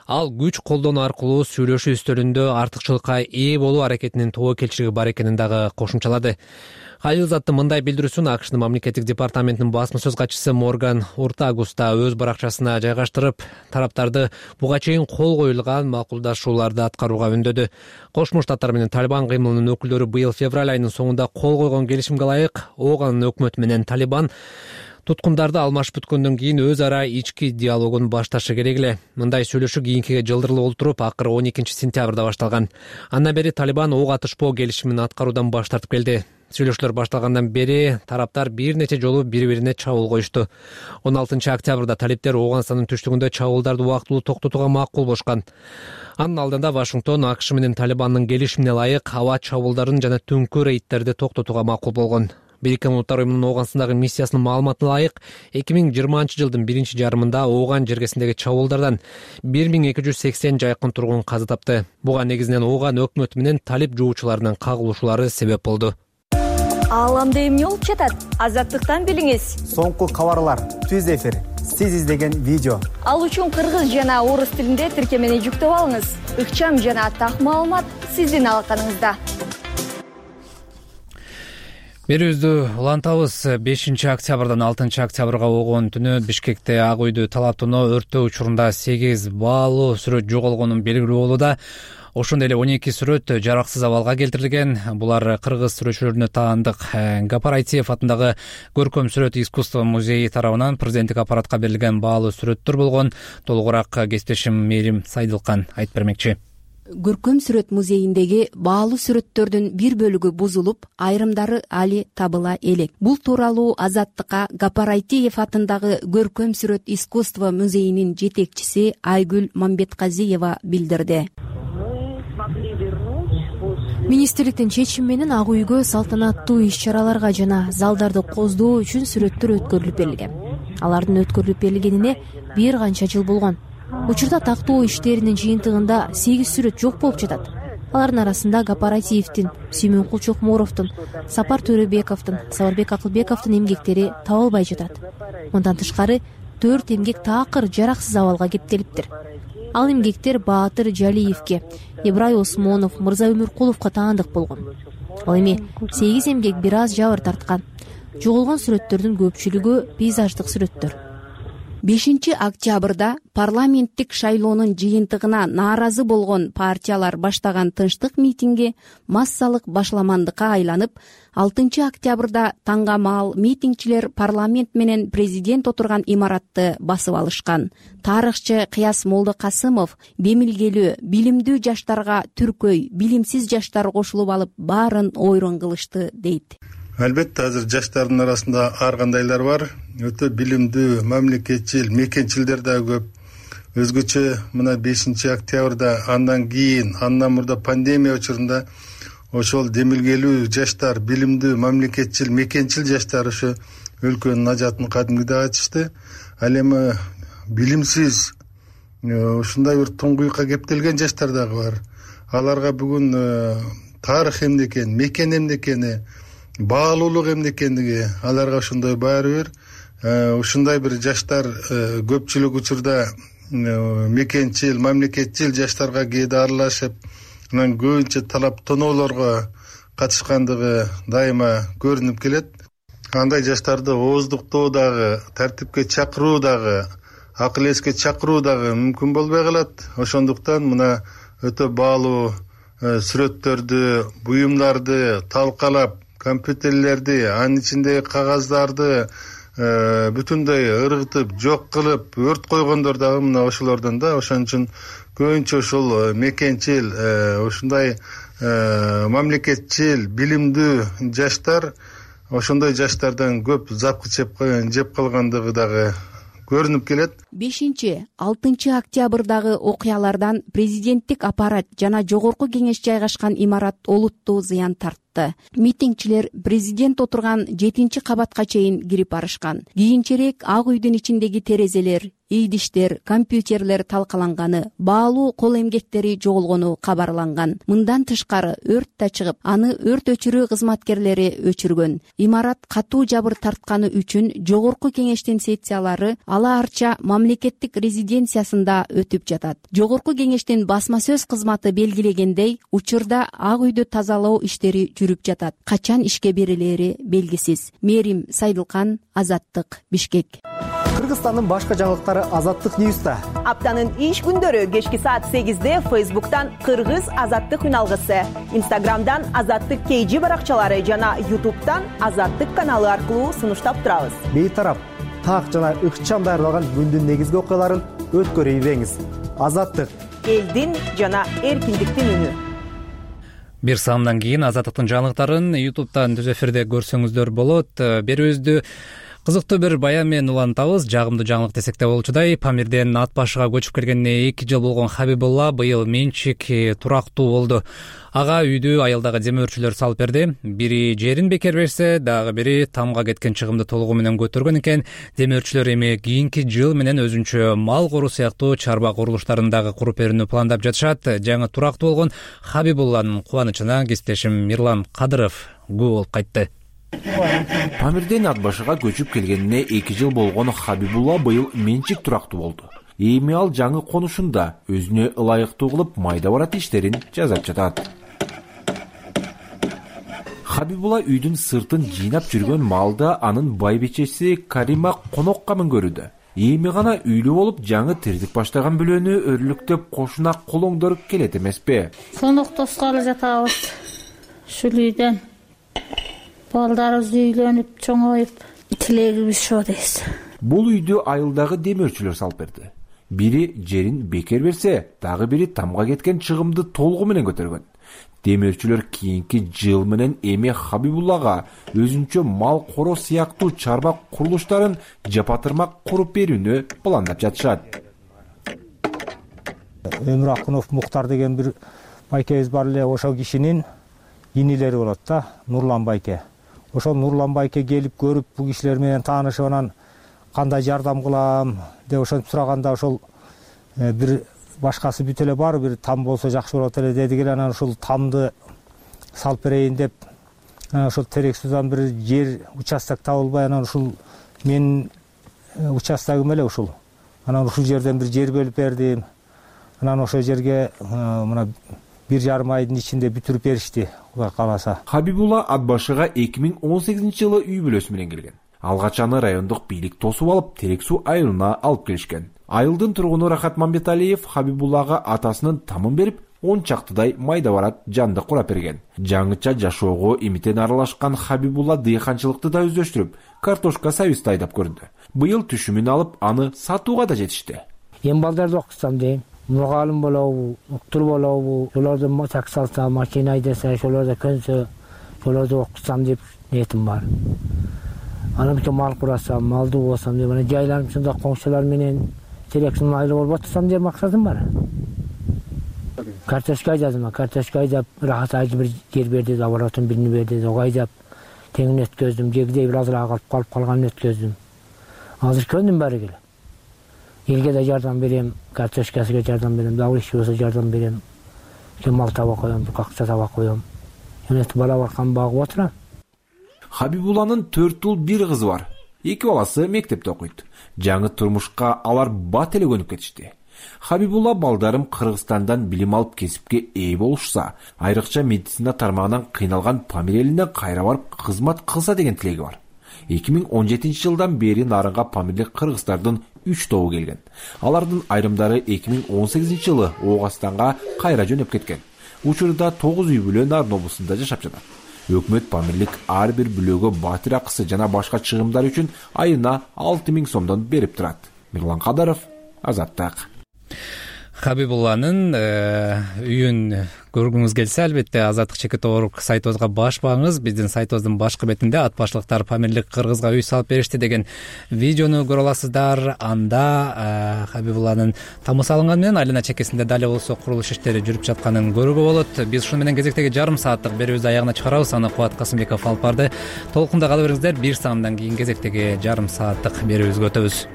Ал күч колдонуу аркылуу сүйлөшүү үстөлүндө артыкчылыкка ээ болуу аракетинин тобокелчилиги бар экенин дагы кошумчалады. Халилзаттын мындай билдирүүсүн АКШнын мамлекеттик департаментинин басма сөз катчысы Морган Уртагуста өз баракчасына жайгаштырып, тараптарды буга чейин кол коюлган макулдашууларды аткарууга үндөдү. Кошмо Штаттар менен Талибан кыймылынын өкүлдөрү быйыл февраль айынын соңунда кол койгон келишимге ылайык Оогандын өкмөтү менен Талибан туткундарды алмашып бүткөндөн кийин өз ара ички диалогун башташы керек эле. Мындай сүйлөшүү кийинкиге жылдырылып олтуруп, акыры он экинчи сентябрда башталган. Андан бери Талибан ок атышпоо келишимин аткаруудан баш тартып келди. Сүйлөшүүлөр башталгандан бери тараптар бир нече жолу бири-бирине чабуул коюшту. он алтынчы октябрда талиптер Ооганстандын түштүгүндө чабуулдарды убактылуу токтотууга макул болушкан. Анын алдында Вашингтон АКШ менен Талибандын келишимине ылайык аба чабуулдарын жана түнкү рейдтерди токтотууга макул болгон. Бириккен Улуттар уюмунун Ооганстандагы миссиясынын маалыматына ылайык эки миң жыйырманчы жылдын биринчи жарымында Ооган жергесиндеги чабуулдардан бир миң эки жүз сексен жакын тургун каза тапты. Буга негизинен Ооган өкмөтү менен талип жуучуларынын кагылышуулары себеп болду. Ааламда эмне болуп жатат? Азаттыктан билиңиз. Соңку кабарлар, түз эфир, сиз издеген видео. Ал үчүн кыргыз жана орус тилинде тиркемени жүктөп алыңыз. Ыкчам жана так маалымат сиздин алаканыңызда. Берүүбүздү улантабыз. бешинчи октябрдан алтынчы октябрга болгон түнү Бишкекте Ак үйдү талаптоо өрттөө учурунда сегиз баалуу сүрөт жоголгонун белгилүү болууда. Ошондой эле он эки сүрөт жараксыз абалга келтирилген. Булар кыргыз сүрөтчүлөрүнө таандык Гапар Айтиев атындагы Көркөм сүрөт искусство музейи тарабынан президенттик аппаратка берилген баалуу сүрөттөр болгон. Толугураак кесиптешим Мээрим Сайдылкан айтып бермекчи. Көркөм сүрөт музейиндеги баалуу сүрөттөрдүн бир бөлүгү бузулуп, айрымдары али табыла элек. Бул тууралуу Азаттыкка Гапар Айтиев атындагы Көркөм сүрөт искусство музейинин жетекчиси Айгүл Мамбетказиева билдирди. Министрликтин чечими менен Ак үйгө салтанаттуу иш-чараларга жана залдарды коздоо үчүн сүрөттөр өткөрүлүп берилген. Алардын өткөрүлүп берилгенине бир канча жыл болгон. Учурда тактоо иштеринин жыйынтыгында сегиз сүрөт жок болуп жатат. Алардын арасында Гапар Айтиевдин, Сүймөнкул Чокморовдун, Сапар Төрөбековдун, Сабарбек Акылбековдун эмгектери табылбай жатат. Мындан тышкары төрт эмгек таакыр жараксыз абалга кептелиптир. Ал эмгектер Баатыр Жалиевке, Ибрай Осмонов, Мырза Өмүркуловго таандык болгон. Ал эми сегиз эмгек бир аз жабыр тарткан. Жоголгон сүрөттөрдүн көпчүлүгү пейзаждык сүрөттөр. бешинчи октябрда парламенттик шайлоонун жыйынтыгына нааразы болгон партиялар баштаган тынчтык митинги массалык башламандыкка айланып, алтынчы октябрда таңгамал митингчилер парламент менен президент отурган имаратты басып алышкан. Тарыхчы Кыяс Молдокасымов бемилгелүү, билимдүү жаштарга түркөй, билимсиз жаштар кошулуп алып баарын ойрон кылышты дейт. Албетте азыр жаштардын арасында ар кандайлар бар. Өтө билимдүү, мамлекетчил, мекенчилдер да көп. Өзгөчө мына бешинчи октябрда андан кийин, андан мурда пандемия учурунда ошол демилгелүү жаштар, билимдүү, мамлекетчил, мекенчил жаштар ошо өлкөнүн ажатын кадимгидей ачышты. Ал эми билимсиз ушундай бир туңгуюкка кептелген жаштар дагы бар. Аларга бүгүн тарых эмне экен, мекен эмне экени, баалуулук эмне экендиги аларга ошондой баары бир. Ушундай бир жаштар көпчүлүк учурда мекенчил, мамлекетчил жаштарга кээде аралашып, анан көбүнчө талап тоноолорго катышкандыгы дайыма көрүнүп келет. Андай жаштарды ооздуктоо дагы, тартипке чакыруу дагы, акыл эске чакыруу дагы мүмкүн болбой калат. Ошондуктан мына өтө баалуу сүрөттөрдү, буюмдарды талкалап, компьютерлерди, анын ичиндеги кагаздарды бүтүндөй ыргытып, жок кылып, өрт койгондор дагы мына ошолордон да. Ошон үчүн көбүнчө ушул мекенчил, ушундай мамлекетчил, билимдүү жаштар, ошондой жаштардан көп запкы жеп калгандыгы дагы көрүнүп келет. бешинчи алтынчы октябрдагы окуялардан президенттик аппарат жана жогорку кеңеш жайгашкан имарат олуттуу зыян тартты. Митингчилер президент отурган жетинчи кабатка чейин кирип барышкан. Кийинчерээк Ак үйдүн ичиндеги терезелер, ийдиштер, компьютерлер талкаланганы, баалуу кол эмгектери жоголгону кабарланган. Мындан тышкары өрт да чыгып, аны өрт өчүрүү кызматкерлери өчүргөн. Имарат катуу жабыр тартканы үчүн жогорку кеңештин сессиялары ала арча мамлекеттик резиденциясында өтүп жатат. Жогорку кеңештин басма сөз кызматы белгилегендей, учурда Ак үйдү тазалоо иштери жүрүп жатат. Качан ишке берилери белгисиз. Мерим Сайдылкан, Азаттык, Бишкек. Кыргызстандын башка жаңылыктары Азаттык Ньюста. Аптанын иш күндөрү кечки саат сегизде Фейсбуктан Кыргыз Азаттык үналгысы, Инстаграмдан Азаттык кей жи баракчалары жана Ютубтан Азаттык каналы аркылуу сунуштап турабыз. Бейтарап, так жана ыкчам даярдалган күндүн негизги окуяларын өткөрүп ийбеңиз. Азаттык, элдин жана эркиндиктин үнү. Бир саамдан кийин Азаттыктын жаңылыктарын Ютубтан түз эфирде көрсөңүздөр болот. Берүүбүздү кызыктуу бир баян менен улантабыз. Жагымдуу жаңылык десек да болчудай, Памирден Ат башыга көчүп келгенине эки жыл болгон Хабибулла быйыл менчик турактуу болду. Ага үйдү айылдагы демөөрчүлөр салып берди. Бири жерин бекер берсе, дагы бири тамга кеткен чыгымды толугу менен көтөргөн экен. Демөөрчүлөр эми кийинки жыл менен өзүнчө мал коруу сыяктуу чарба курулуштарын дагы куруп берүүнү пландап жатышат. Жаңы турактуу болгон Хабибулланын кубанычына кесиптешим Мирлан Кадыров күбө болуп кайтты. Памирден Ат башыга көчүп келгенине эки жыл болгон Хабибулла быйыл менчик турактуу болду. Эми ал жаңы конушунда өзүнө ылайыктуу кылып майда барат иштерин жасап жатат. Хабибулла үйдүн сыртын жыйнап жүргөн малда анын байбичеси Карима конокко мөңгөрүүдө. Эми гана үйлүү болуп жаңы тирдик баштаган бөлөнү өрлүктөп кошуна колоңдоруп келет эмеспи? Сонук тоскалы жатабыз. Ушул үйдөн балдарыбыз үйлөнүп, чоңоюп, тилегибиз ошо дейбиз. Бул үйдү айылдагы демөөрчүлөр салып берди. Бири жерин бекер берсе, дагы бири тамга кеткен чыгымды толугу менен көтөргөн. Демөөрчүлөр кийинки жыл менен эми Хабибуллага өзүнчө мал короо сыяктуу чарба курулуштарын жапатырмак куруп берүүнү пландап жатышат. Өмүр Акунов Муктар деген бир байкебиз бар эле, ошол кишинин инилери болот да, Нурлан байке. Ошол Нурлан байке келип көрүп, бул кишилер менен таанышып, анан кандай жардам кылам деп ошентип сураганда, ошол бир башкасы бүт эле бар, бир там болсо жакшы болот эле деди эле. Анан ошол тамды салып берейин деп, анан ошол терек судан бир жер участок табылбай, анан ушул менин участогум эле ушул. Анан ушул жерден бир жер бөлүп бердим. Анан ошол жерге мына бир жарым айдын ичинде бүтүрүп беришти, Кудай кааласа. Хабибулла Ат башыга эки миң он сегизинчи жылы үй бүлөсү менен келген. Алгач аны райондук бийлик тосуп алып, Терек суу айылына алып келишкен. Айылдын тургуну Рахат Мамбеталиев Хабибуллага атасынын тамын берип, он чактыдай майда барат жанды курап берген. Жаңыча жашоого имитен аралашкан Хабибулла дыйканчылыкты да өздөштүрүп, картошка сабизди айдап көрдү. Быйыл түшүмүн алып, аны сатууга да жетишти. Эми балдарды окутсам дейм. Мургалым болобу, уктур болобу, ошолордон так салса, машина айдаса, ошолордо көнсө, ошолорду окутсам деп ниетим бар. Анан бир мал курасам, малдуу болсам деп, анан жайланып ушунда коңшулар менен Теректин майылы болуп отурсам деп максатым бар. Картошка айдадым, картошка айдап, Рахат айдып бир жер берди, оборотун биrini берди, ого айдап, теңин өткөздүм, жегидей бир азыраак алып калып калганын өткөздүм. Азыр көндүм баары келе. Элге да жардам берем, картошкасына жардам берем, дагы иш болсо жардам берем. Мал таба коем, акча таба коем. Эметип бала баркан багып отурам. Хабибулланын төрт уул бир кызы бар. Эки баласы мектепте окуйт. Жаңы турмушка алар бат эле көнүп кетишти. Хабибулла балдарым Кыргызстандан билим алып кесипке ээ болушса, айрыкча медицина тармагынан кыйналган Памир элине кайра барып кызмат кылса деген тилеги бар. эки миң он жетинчи жылдан бери нарынга памирлик кыргыздардын үч тобу келген. Алардын айрымдары эки миң он сегизинчи жылы Оогастанга кайра жөнөп кеткен. учурда тогуз үй бүлө Нарын облусунда жашап жатат. Өкмөт Памирлик ар бир бүлөгө батир акысы жана башка чыгымдар үчүн айына алты миң сомдон берип турат. Мирлан Кадаров, Азаттык. Хабибулланын үйүн көргүңүз келсе, албетте Азаттык чекит орг сайтыбызга баш багыңыз. Биздин сайтыбыздын башкы бетинде ат башлыктар Памирлик кыргызга үй салып беришти деген видеону көрө аласыздар. Анда Хабибулланын тамы салынганы менен айлана чекесинде дали болсо курулуш иштери жүрүп жатканын көрүүгө болот. Биз ушуну менен кезектеги жарым сааттык берүүбүздү аягына чыгарабыз. Аны Кубат Касымбеков алып барды. Толкунда кала бериңиздер. Бир саамдан кийин кезектеги жарым сааттык берүүбүзгө өтөбүз.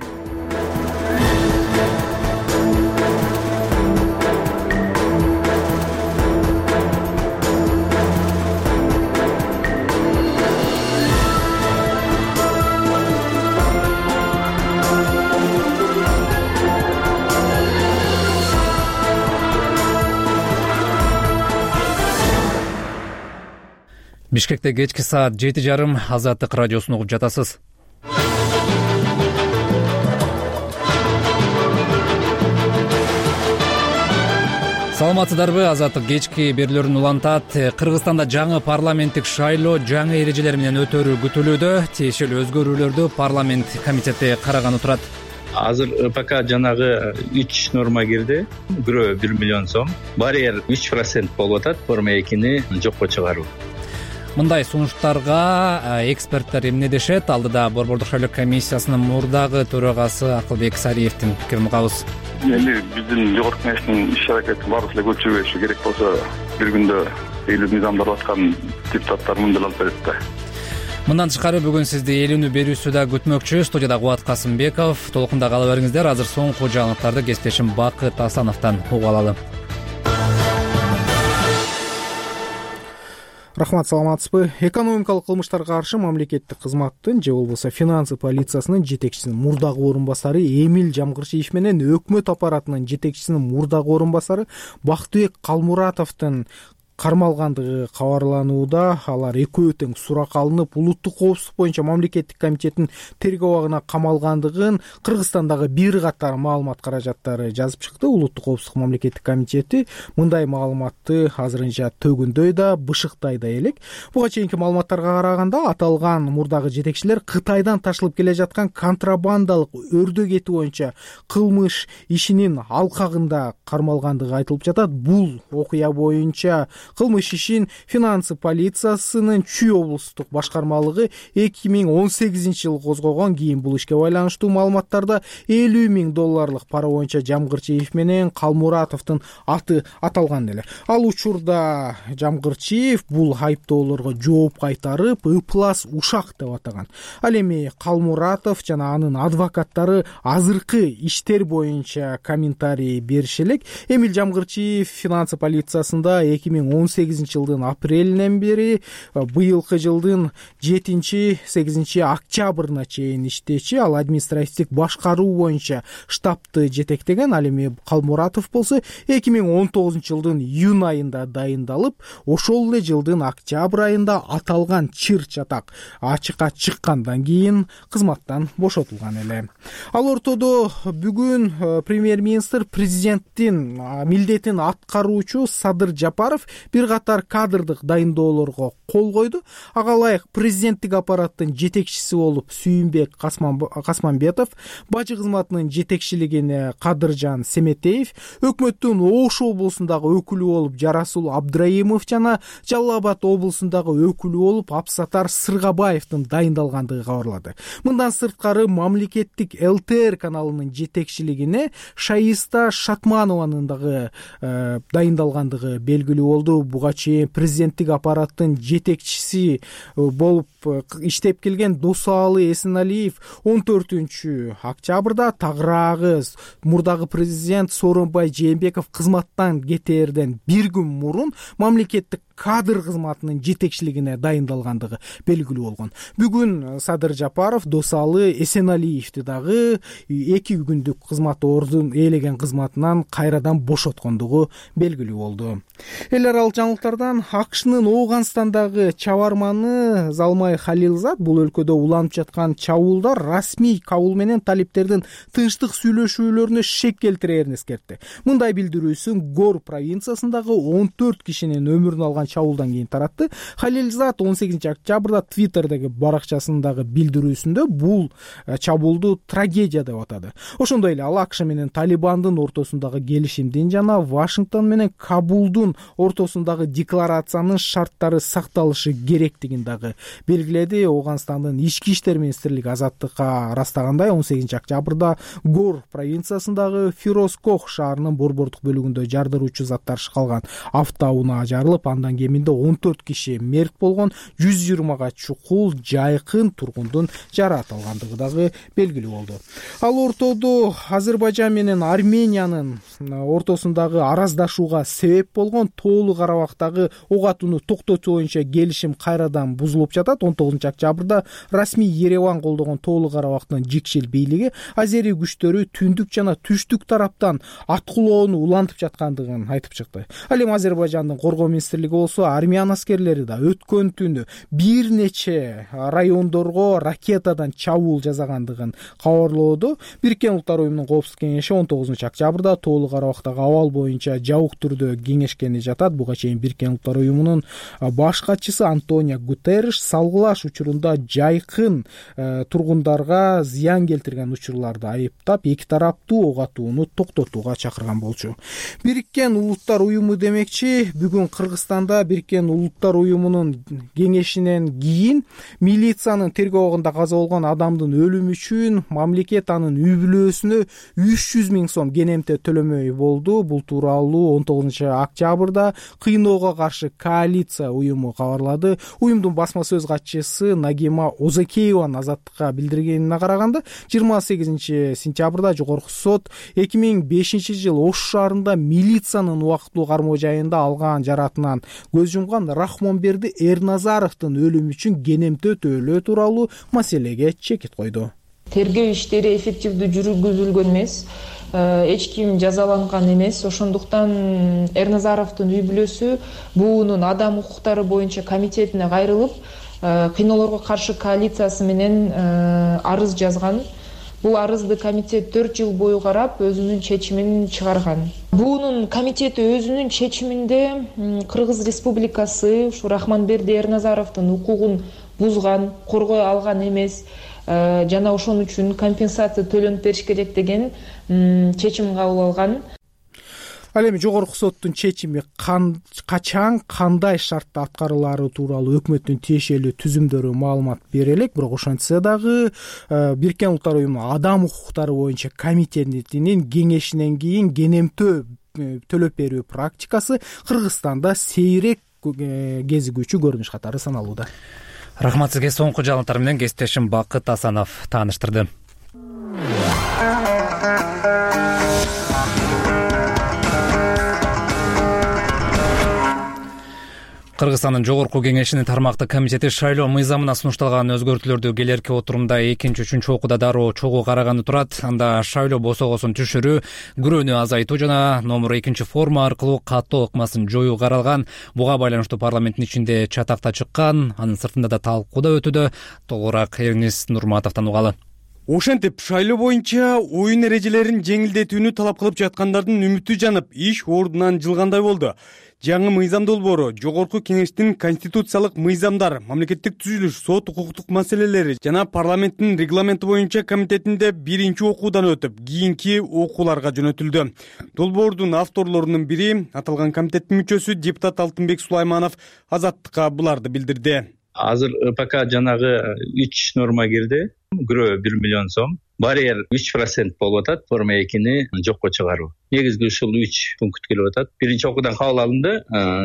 Бишкекте кечки саат жети жарым Азаттык радиосун угуп жатасыз. Саламатсыздарбы? Азаттык кечки берүүлөрүн улантат. Кыргызстанда жаңы парламенттик шайлоо жаңы эрежелер менен өтөрү күтүлүүдө. Тиешелүү өзгөрүүлөрдү парламент комитети караганы турат. Азыр пока жанагы үч норма кирди. Бирөө бир миллион сом. Барьер үч процент болуп атат. Форма экини жокко чыгаруу. Мындай сунуштарга эксперттер эмне дешет? Алдыда Борбордук шайлоо комиссиясынын мурдагы төрагасы Акылбек Сариевдин пикирин угабыз. Эми биздин жогорку кеңештин иш-аракети баары эле көчүрбөшү керек болсо бир күндө элүү мыйзамдар аткан депутаттар мындан алып берет да. Мындан тышкары бүгүн сизди элүүнү берүүсү да күтмөкчү. Студияда Кубат Касымбеков. Толкунда кала бериңиздер. Азыр соңку жаңылыктарды кесиптешим Бакыт Асановдон угуп алалы. Рахмат, саламатсызбы? Экономикалык кылмыштарга каршы мамлекеттик кызматтын же болбосо финансы полициясынын жетекчисинин мурдагы орун басары Эмил Жамгырчиев менен өкмөт аппаратынын жетекчисинин мурдагы орун басары Бактыбек Калмуратовдун кармалгандыгы кабарланууда. Алар экөө тең суракка алынып, улуттук коопсуздук боюнча мамлекеттик комитеттин тергөө абагына камалгандыгын Кыргызстандагы бир катар маалымат каражаттары жазып чыкты. Улуттук коопсуздук мамлекеттик комитети мындай маалыматты азырынча төгүндөй да, бышыктай да элек. Буга чейинки маалыматтарга караганда аталган мурдагы жетекчилер Кытайдан ташылып келе жаткан контрабандалык өрдө кети боюнча кылмыш ишинин алкагында кармалгандыгы айтылып жатат. Бул окуя боюнча кылмыш ишин финансы полициясынын Чүй облустук башкармалыгы эки миң он сегизинчи жылы козгогон. Кийин бул ишке байланыштуу маалыматтарда элүү миң долларлык пара боюнча Жамгырчиев менен Калмуратовдун аты аталган эле. Ал учурда Жамгырчиев бул айыптоолорго жооп кайтарып, ыплас ушак деп атаган. Ал эми Калмуратов жана анын адвокаттары азыркы иштер боюнча комментарий бериши элек. Эмил Жамгырчиев финансы полициясында эки миң он сегизинчи жылдын апрелинен бери быйылкы жылдын жетинчи сегизинчи октябрына чейин иштечи. Ал административдик башкаруу боюнча штабты жетектеген. Ал эми Калмуратов болсо эки миң он тогузунчу жылдын июнь айында дайындалып, ошол эле жылдын октябрь айында аталган чыр чатак ачыкка чыккандан кийин кызматтан бошотулган эле. Ал ортодо бүгүн премьер-министр президенттин милдетин аткаруучу Садыр Жапаров бир катар кадрдык дайындоолорго кол койду. Ага ылайык президенттик аппараттын жетекчиси болуп Сүйүнбек Касманбетов, бажы кызматынын жетекчилигине Кадыржан Семетеев, өкмөттүн Ош облусундагы өкүлү болуп Жарасул Абдраимов жана Жалал Абад облусундагы өкүлү болуп Абсатар Сыргабаевдин дайындалгандыгы кабарлады. Мындан сырткары мамлекеттик эл тэ эр каналынын жетекчилигине Шаиста Шатманованын дагы э, дайындалгандыгы белгилүү болду. Буга чейин президенттик аппараттын жетекчиси болуп иштеп келген Досалы Эсеналиев он төртүнчү октябрда тагыраагы мурдагы президент Сооронбай Жээнбеков кызматтан кетээрден бир күн мурун мамлекеттик кадр кызматынын жетекчилигине дайындалгандыгы белгилүү болгон. Бүгүн Садыр Жапаров Досалы Эсеналиевди дагы эки күндүк кызмат ордун ээлеген кызматынан кайрадан бошоткондугу белгилүү болду. Эл аралык жаңылыктардан АКШнын Ооганстандагы чабарманы Залмай Халилзад бул өлкөдө уланып жаткан чабуулдар расмий кабыл менен талиптердин тынчтык сүйлөшүүлөрүнө шек келтирээрин эскертти. Мындай билдирүүсүн Гор провинциясындагы он төрт кишинин өмүрүн алган чабуулдан кийин таратты. Халилзад он сегизинчи октябрда Твиттердеги баракчасындагы билдирүүсүндө бул чабуулду трагедия деп атады. Ошондой эле ал АКШ менен Талибандын ортосундагы келишимдин жана Вашингтон менен Кабулдун ортосундагы декларациянын шарттары сакталышы керектигин дагы белгиледи. Ооганстандын ички иштер министрлиги азаттыкка ырастагандай он сегизинчи октябрда Гор провинциясындагы Фирозкох шаарынын борбордук бөлүгүндө жардыруучу заттар шкалган автоунаа жарылып, андан кеминде он төрт киши мерт болгон, жүз жыйырмага чукул жайкын тургундун жараат алгандыгы дагы белгилүү болду. Ал ортодо Азербайжан менен Армениянын ортосундагы араздашууга себеп болгон Тоолу Карабактагы ок атууну токтотуу боюнча келишим кайрадан бузулуп жатат. он тогузунчу октябрда расмий Ереван колдогон Тоолу Карабактын жикшил бийлиги азери күчтөрү түндүк жана түштүк тараптан аткылоону улантып жаткандыгын айтып чыкты. Ал эми Азербайжандын коргоо министрлиги болсо армян аскерлери да өткөн түнү бир нече райондорго ракетадан чабуул жасагандыгын кабарлоодо. Бириккен Улуттар уюмунун коопсуздук кеңеши он тогузунчу октябрда Тоолу Карабактагы абал боюнча жабык түрдө кеңешкени жатат. Буга чейин Бириккен Улуттар уюмунун баш катчысы Антонио Гутерриш салгылаш учурунда жайкын э, тургундарга зыян келтирген учурларды айыптап, эки тараптуу ок атууну токтотууга чакырган болчу. Бириккен Улуттар уюму демекчи, бүгүн Кыргызстанда Бириккен Улуттар уюмунун кеңешинен кийин милициянын тергөө каза болгон адамдын өлүмү үчүн мамлекет анын үй бүлөсүнө үч жүз миң сом кенемте төлөмөй болду. Бул тууралуу он тогузунчу октябрда кыйноого каршы коалиция уюму кабарлады. Уюмдун басма сөз катчысы Нагима Озакееванын азаттыкка билдиргенине караганда, жыйырма сегизинчи сентябрда жогорку сот эки миң бешинчи жыл Ош шаарында милициянын убактылуу кармоо жайында алган жараатынан көз жумган Рахмонберди Эрназаровдун өлүмү үчүн кенемте төлөө тууралуу маселеге чекит койду. Тергөө иштери эффективдүү жүргүзүлгөн эмес, эч ким жазаланган эмес. Ошондуктан Эрназаровдун үй бүлөсү буунун адам укуктары боюнча комитетине кайрылып, кыйноолорго каршы коалициясы менен арыз жазган. Бул арызды комитет төрт жыл бою карап, өзүнүн чечимин чыгарган. Буунун комитети өзүнүн чечиминде Кыргыз Республикасы ушу Рахмонберди Эрназаровдун укугун бузган, коргой алган эмес жана ошон үчүн компенсация төлөнүп бериш керек деген чечим кабыл алган. Ал эми жогорку соттун чечими качан, кандай шартта аткарылары тууралуу өкмөттүн тиешелүү түзүмдөрү маалымат бере элек. Бирок ошентсе дагы Бириккен Улуттар уюму адам укуктары боюнча комитетинин кеңешинен кийин кенемтөө төлөп берүү практикасы Кыргызстанда сейрек кезигүүчү көрүнүш катары саналууда. Рахмат сизге. Соңку жаңылыктар менен кесиптешим Бакыт Асанов тааныштырды. Кыргызстандын жогорку кеңешинин тармактык комитети шайлоо мыйзамына сунушталган өзгөртүүлөрдү келерки отурумда экинчи, үчүнчү окууда дароо чогуу караганы турат. Анда шайлоо босогосун түшүрүү, күрөөнү азайтуу жана номер экинчи форма аркылуу каттоо ыкмасын жоюу каралган. Буга байланыштуу парламенттин ичинде чатакта чыккан, анын сыртында да талкууда өтүүдө. Толугураак Эрнис Нурматовдон угалы. Ошентип шайлоо боюнча оюн эрежелерин жеңилдетүүнү талап кылып жаткандардын үмүтү жанып, иш ордунан жылгандай болду. Жаңы мыйзам долбоору жогорку кеңештин конституциялык мыйзамдар, мамлекеттик түзүлүш, сот укуктук маселелери жана парламенттин регламенти боюнча комитетинде биринчи окуудан өтүп, кийинки окууларга жөнөтүлдү. Долбоордун авторлорунун бири, аталган комитеттин мүчөсү депутат Алтынбек Сулайманов азаттыкка буларды билдирди. Азыр ыпк жанагы үч норма кирди. Күрөө бир миллион сом, барьер үч процент болуп атат, форма экини жокко чыгаруу. Негизги ушул үч пункт келип атат. Биринчи окуудан кабыл алынды,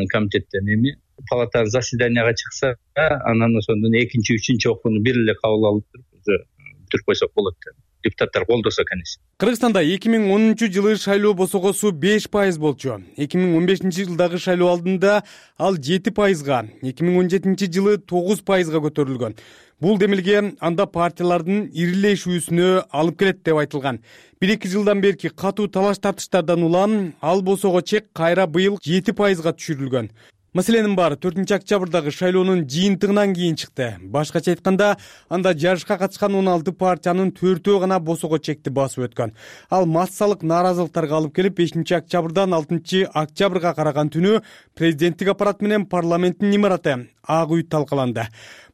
комитеттен эми палатанын заседанияга чыкса, анан ошондон экинчи, үчүнчү окууну бир эле кабыл алып туруп бүтүрүп койсок болот. депутаттар колдосо экенбиз. Кыргызстанда эки миң онунчу жылы шайлоо босогосу беш пайыз болчу. эки миң он бешинчи жылдагы шайлоо алдында ал жети пайызга, эки миң он жетинчи жылы тогуз пайызга көтөрүлгөн. Бул демилге анда партиялардын ирилешүүсүнө алып келет деп айтылган. бир эки жылдан берки катуу талаш тартыштардан улам ал босого чек кайра быйыл жети пайызга түшүрүлгөн. Маселенин баары төртүнчү октябрдагы шайлоонун жыйынтыгынан кийин чыкты. Башкача айтканда, анда жарышка катышкан он алты партиянын төртөө гана босого чекти басып өткөн. Ал массалык нааразылыктарга алып келип, бешинчи октябрдан алтынчы октябрга караган түнү президенттик аппарат менен парламенттин имараты Ак үй талкаланды.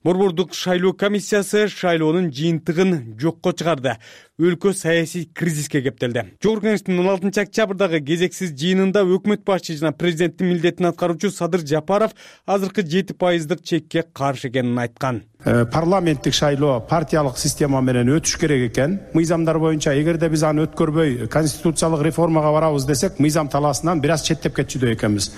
Борбордук шайлоо комиссиясы шайлоонун жыйынтыгын жокко чыгарды. Өлкө саясий кризиске кептелди. Жогорку кеңештин он алтынчы октябрдагы кезексиз жыйынында өкмөт башчы жана президенттин милдетин аткаруучу Садыр Жапаров азыркы жети пайыздык чекке каршы экенин айткан. Парламенттик шайлоо партиялык система менен өтүш керек экен. Мыйзамдар боюнча эгерде биз аны өткөрбөй конституциялык реформага барабыз десек, мыйзам талаасынан бир аз четтеп кетчүдөй экенбиз.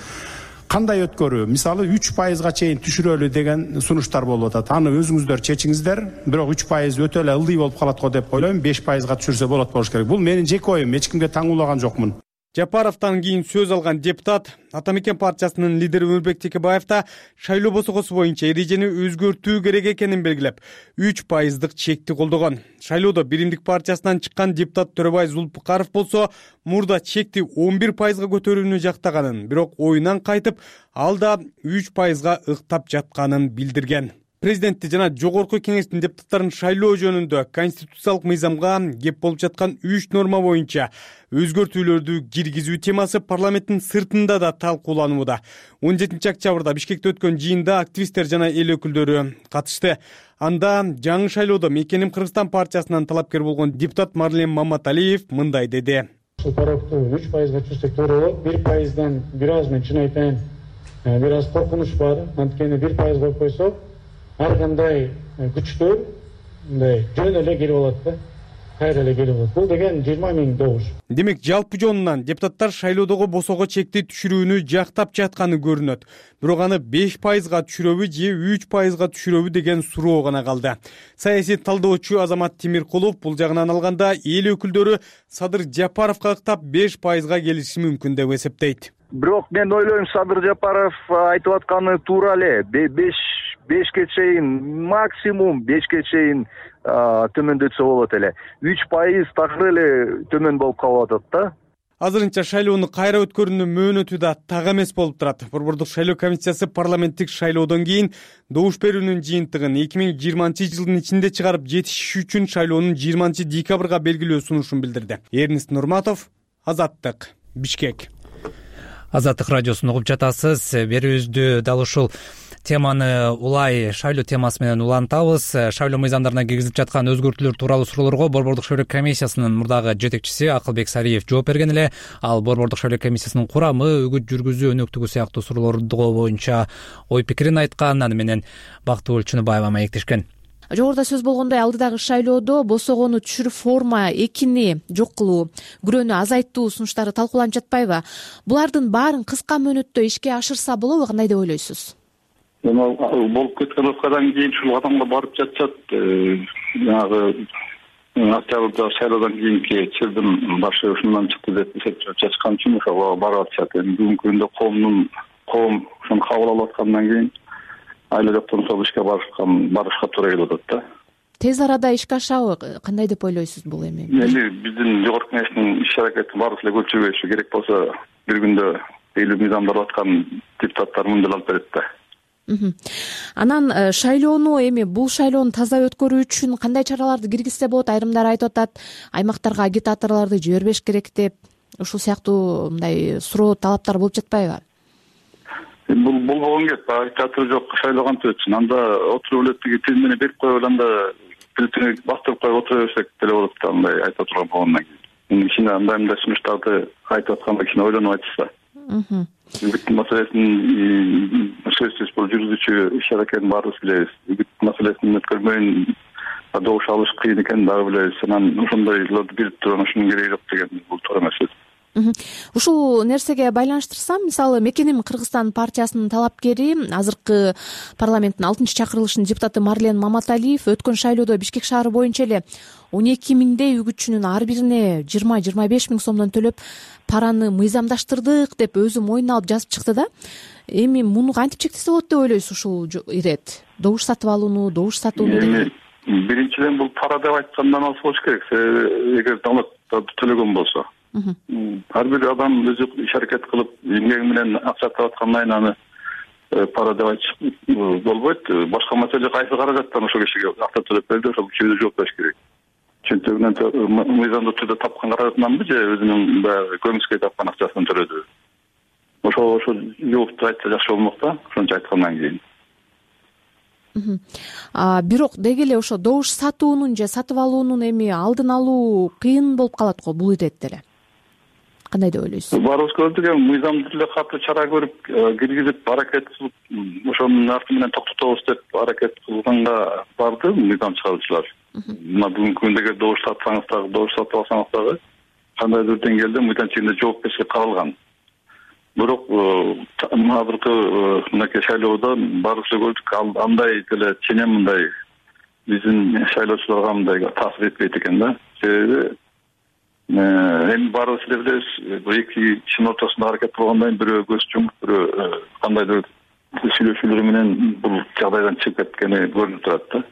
Кандай өткөрүү? Мисалы үч пайызга чейин түшүрөлү деген сунуштар болуп атат. Аны өзүңүздөр чечиңиздер. Бирок үч пайыз өтө эле ылдый болуп калат го деп ойлойм. беш пайызга түшүрсө болот болуш керек. Бул менин жеке оюм, эч кимге таңуулаган жокмун. Жапаровдон кийин сөз алган депутат Ата Мекен партиясынын лидери Өмүрбек Текебаев да шайлоо босогосу боюнча эрежени өзгөртүү керек экенин белгилеп, үч пайыздык чекти колдогон. Шайлоодо Биримдик партиясынан чыккан депутат Төрөбай Зулпукаров болсо мурда чекти он бир пайызга көтөрүүнү жактаганын, бирок оюнан кайтып, ал да үч пайызга ыктап жатканын билдирген. Президентти жана жогорку кеңештин депутаттарын шайлоо жөнүндө конституциялык мыйзамга кеп болуп жаткан үч норма боюнча өзгөртүүлөрдү киргизүү темасы парламенттин сыртында да талкууланууда. он жетинчи октябрда Бишкекте өткөн жыйында активисттер жана эл өкүлдөрү катышты. Анда жаңы шайлоодо Мекеним Кыргызстан партиясынан талапкер болгон депутат Марлен Маматалиев мындай деди. Сулпаровду үч пайызга түшүрсөк туура болот. бир пайыздан бир аз мен чын айтайын, бир аз коркунуч бар. Анткени бир пайыз коюп койсок, ар кандай күчтөр мындай жөн эле келип алат да. Кайра эле келип алат. Бул деген жыйырма миң добуш. Демек, жалпы жонунан депутаттар шайлоодогу босого чекти түшүрүүнү жактап жатканы көрүнөт. Бирок аны беш пайызга түшүрөбү же үч пайызга түшүрөбү деген суроо гана калды. Саясий талдоочу Азамат Тимиркулов бул жагынан алганда эл өкүлдөрү Садыр Жапаровго ыктап беш пайызга келиши мүмкүн деп эсептейт. Бирок мен ойлойм, Садыр Жапаров айтып атканы туура эле. беш бешке чейин, максимум бешке чейин төмөндөтсө болот эле. үч пайыз такыр эле төмөн болуп калып атат да. Азырынча шайлоону кайра өткөрүүнүн мөөнөтү да так эмес болуп турат. Борбордук шайлоо комиссиясы парламенттик шайлоодон кийин добуш берүүнүн жыйынтыгын эки миң жыйырманчы жылдын ичинде чыгарып жетишиш үчүн шайлоонун жыйырманчы декабрга белгилөө сунушун билдирди. Эрнест Нурматов, Азаттык, Бишкек. Азаттык радиосун угуп жатасыз. Берүүбүздү дал ушул теманы улай шайлоо темасы менен улантабыз. Шайлоо мыйзамдарына киргизип жаткан өзгөртүүлөр тууралуу суроолорго Борбордук шайлоо комиссиясынын мурдагы жетекчиси Акылбек Сариев жооп берген эле. Ал Борбордук шайлоо комиссиясынын курамы, үгүт жүргүзүү өнөктүгү сыяктуу суроолорго боюнча ой пикирин айткан. Аны менен Бактыгүл Чыныбаева маектешкен. Жогоруда сөз болгондой, алдыдагы шайлоодо босогону түшүрүп форма экини жок кылуу, күрөөнү азайттуу сунуштары талкууланып жатпайбы? Булардын баарын кыска мөөнөттө ишке ашырса болобу? Кандай деп ойлойсуз? Эми болуп кеткен окуядан кийин ушул кадамга барып жатышат. Жанагы октябрда шайлоодон кийинки чырдын башы ушундан чыкты деп эсептеп жатышкан үчүн ошого барып атышат. Эми бүгүнкү күндө коомдун коом ушуну кабыл алып аткандан кийин айла жоктон ошол ишке барышкан барышка туура келип атат да. Тез арада ишке ашабы? Кандай деп ойлойсуз бул эми? Эми биздин жогорку кеңештин иш аракети баарыбыз эле көчүрбөйүшү керек болсо бир күндө элүү мыйзамдар аткан депутаттар мындай алып берет да. Анан шайлоону эми бул шайлоону таза өткөрүү үчүн кандай чараларды киргизсе болот? Айрымдар айтып атат, аймактарга агитаторлорду жибербеш керек деп. Ушул сыяктуу мындай суроо талаптар болуп жатпайбы? Бул болгон кеп, агитатор жок, шайлоо кантип өтсүн? Анда отуруп эле тиги тилмени берип коюп, анда бюллетени бастырып коюп отура берсек деле болот да, андай айтып отурган болгондон кийин. Кичине андай мындай сунуштарды айтып атканда кичине ойлонуп айтышса. Үгүт маселесин сөзсүз бул жүргүзүүчү иш аракетин баарыбыз билебиз. Үгүт маселесин өткөрмөйүн добуш алыш кыйын экенин дагы билебиз. Анан ошондойлорду бирип туруп ушунун кереги жок деген бул туура эмес. ушул нерсеге байланыштырсам, мисалы Мекеним Кыргызстан партиясынын талапкери, азыркы парламенттин алтынчы чакырылышынын депутаты Марлен Маматалиев өткөн шайлоодо Бишкек шаары боюнча эле он эки миңдей үгүтчүнүн ар бирине жыйырма жыйырма беш миң сомдон төлөп параны мыйзамдаштырдык деп өзү мойнуна алып жазып чыкты да. Эми муну кантип чектесе болот деп ойлойсуз ушул ирет? Добуш сатып алууну, добуш сатууну эми биринчиден бул пара деп айткандан алыс болуш керек. Эгер давлат төлөгөн болсо, ар бир адам өзү иш аракет кылып эмгеги менен акча таап аткандан кийин аны пара деп айтыш болбойт. Башка маселе кайсы каражаттан ошол кишиге акча төлөп берди, ошол кишиге жооп бериш керек. Чөнтөгүнөн мыйзамдуу түрдө тапкан каражатынанбы же өзүнүн баягы көмүскө тапкан акчасынан төлөдү? Ошол ошол жоопту айтса жакшы болмок да, ошончо айткандан кийин. Бирок деги эле ошо добуш сатуунун же сатып алуунун эми алдын алуу кыйын болуп калат го бул иретте эле. Кандай деп ойлойсуз? Баарыбыз көрдүк, эми мыйзамдуу эле катуу чара көрүп киргизип аракет кылып, ошонун арты менен токтотобуз деп аракет кылганга барды мыйзам чыгаруучулар. Мына бүгүнкү күндө эгер добуш сатсаңыз дагы, добуш сатып алсаңыз дагы кандайдыр деңгээлде мыйзам чегинде жоопкерчилик каралган. Бирок азыркы мынакей шайлоодо баарыбыз көрдүк, андай деле ченем мындай биздин шайлоочуларга мындай таасир этпейт экен да. Себеби эми баарыбыз эле билебиз, бул эки кишинин ортосунда аракет кылгандан кийин бирөө көз жумуп, бирөө кандайдыр сүйлөшүүлөр менен бул жагдайдан чыгып кеткени көрүнүп турат да.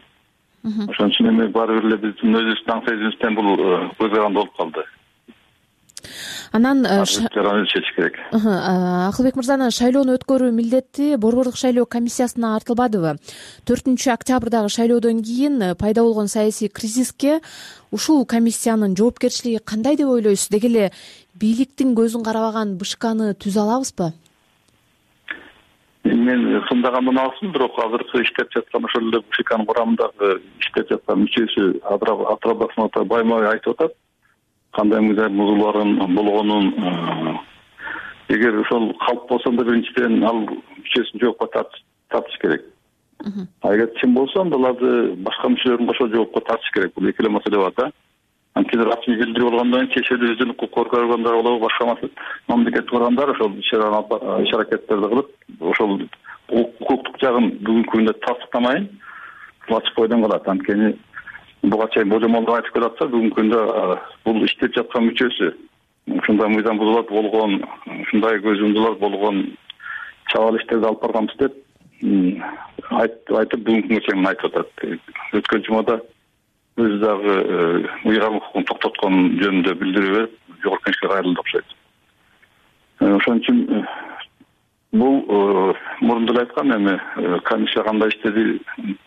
Ошон үчүн эми баары бир эле биздин өзүбүздүн сезимибизден бул көз каранды болуп калды. Анан чечиш керек. Акылбек мырзанын шайлоону өткөрүү милдети Борбордук шайлоо комиссиясына артылбадыбы? төртүнчү октябрдагы шайлоодон кийин пайда болгон саясий кризиске ушул комиссиянын жоопкерчилиги кандай деп ойлойсуз? Деги эле бийликтин көзүн карабаган БШКны түзө алабызбы? Мен сындагандан алсын, бирок азыркы иштеп жаткан ошол эле БШКнын курамындагы иштеп жаткан мүчөсү Атыраб Баймай айтып атат. Кандай мыйзам бузууларын болгонун, эгер ошол калп болсо да биринчиден ал мүчөсүн жоопко тартыш керек. А эгер чын болсо аларды башка мүчөлөрүн кошо жоопко тартыш керек. Бул эки эле маселе бар да. Анткени расмий билдирүү болгондон кийин чечүүнү өздөрүн укук коргоогондар болобу, башка мамлекеттик органдар ошол иш аракеттерди кылып, ошол укуктук жагын бүгүнкү күндө тастыктамайын ачык бойдон калат. Анткени буга чейин божомолдоп айтып келатса, бүгүнкү күндө бул иштеп жаткан мүчөсү ушундай мыйзам бузуулар болгон, ушундай көз жумдулар болгон чабал иштерди алып барганбыз деп айтып бүгүнкү күнгө чейин айтып атат. Өткөн жумада өзү дагы ыйгарым укугун токтоткон жөнүндө билдирүү берип, жогорку кеңешке кайрылды окшойт. Ошон үчүн бул мурунда эле айткан, эми комиссия кандай иштеди,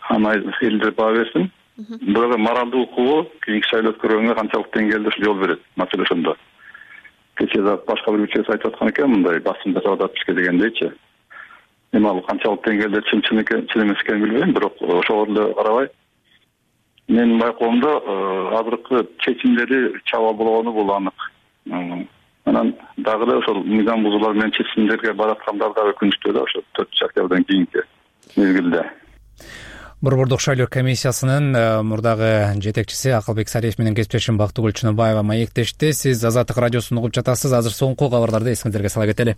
аны элдер баа берсин. Бирок моралдуу укугу кийинки шайлоо өткөргөнгө канчалык деңгээлде жол берет, маселе ошондо. Кечээ да башка бир мүчөсү айтып аткан экен, мындай басым жасап атат бизге дегендейчи. Эми ал канчалык деңгээлде чын чын экен, чын эмес экенин билбейм, бирок ошого эле карабай менин байкоомдо азыркы чечимдери чабал болгону бул анык. Анан дагы эле ошол мыйзам бузуулар менен чечимдерге бараткандар дагы өкүнүчтүү да, ошо төртүнчү октябрдан кийинки мезгилде. Борбордук шайлоо комиссиясынын мурдагы жетекчиси Акылбек Сариев менен кесиптешим Бактыгүл Чыныбаева маектешти. Сиз Азаттык радиосун угуп жатасыз. Азыр соңку кабарларды эсиңиздерге сала кетели.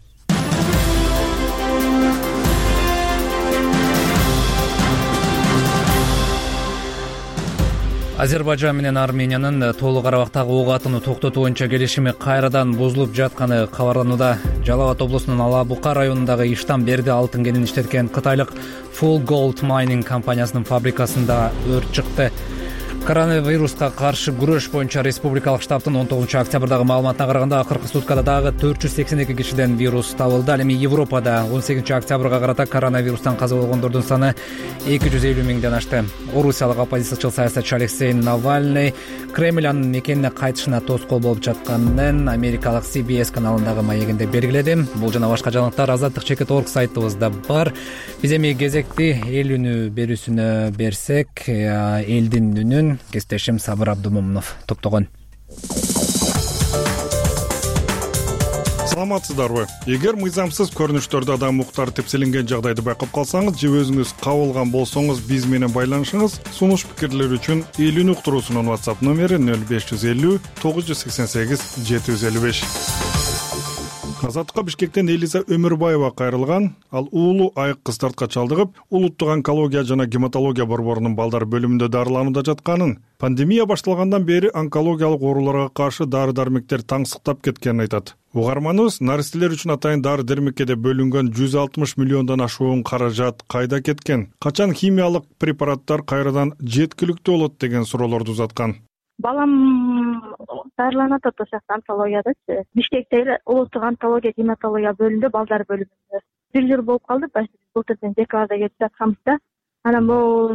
Азербайжан менен Армениянын Тоолуу Карабактагы ок атууну токтотуу боюнча келишими кайрадан бузулуп жатканы кабарланууда. Жалал Абад облусунун Ала-Бука районундагы иштан берди алтын кенин иштеткен кытайлык Full Gold Mining компаниясынын фабрикасында өрт чыкты. Коронавируска каршы күрөш боюнча республикалык штабтын он тогузунчу октябрдагы маалыматына караганда акыркы суткада дагы төрт жүз сексен эки кишиден вирус табылды. Ал эми Европада он сегизинчи октябрга карата коронавирустан каза болгондордун саны эки жүз элүү миңден ашты. Орусиялык оппозициячыл саясатчы Алексей Навальный Кремль анын мекенине кайтышына тоскоол болуп жатканын америкалык си би эс каналындагы маегинде белгиледи. Бул жана башка жаңылыктар азаттык чекит орг сайтыбызда бар. Биз эми кезекти эл үнү берүүсүнө берсек, элдин үнүн кесиптешим Сабыр Абдумомунов топтогон. Саламатсыздарбы? Эгер мыйзамсыз көрүнүштөрдө адам укуктары тепселенген жагдайды байкап калсаңыз же өзүңүз кабылган болсоңуз биз менен байланышыңыз. Сунуш пикирлер үчүн эл үнү уктуруусунун WhatsApp номери нөл беш жүз элүү тогуз жүз сексен сегиз жети жүз элүү беш. Азаттыкка Бишкектен Элиза Өмүрбаева кайрылган. Ал уулу айык кыстартка чалдыгып, улуттук онкология жана гематология борборунун балдар бөлүмүндө дарыланууда жатканын, пандемия башталгандан бери онкологиялык ооруларга каршы дары-дармектер таңсыктап кеткенин айтат. Угарманыбыз наристелер үчүн атайын дары-дармекке деп бөлүнгөн жүз алтымыш миллиондон ашуун каражат кайда кеткен? Качан химиялык препараттар кайрадан жеткиликтүү болот деген суроолорду узаткан. Балам дарыланат ошол жакта онкологиядачы. Бишкекте эле улуттук онкология гематология бөлүмүндө, балдар бөлүмүндө. Бир жыл болуп калды, былтырдын декабрда келип жатканбыз да. Анан бул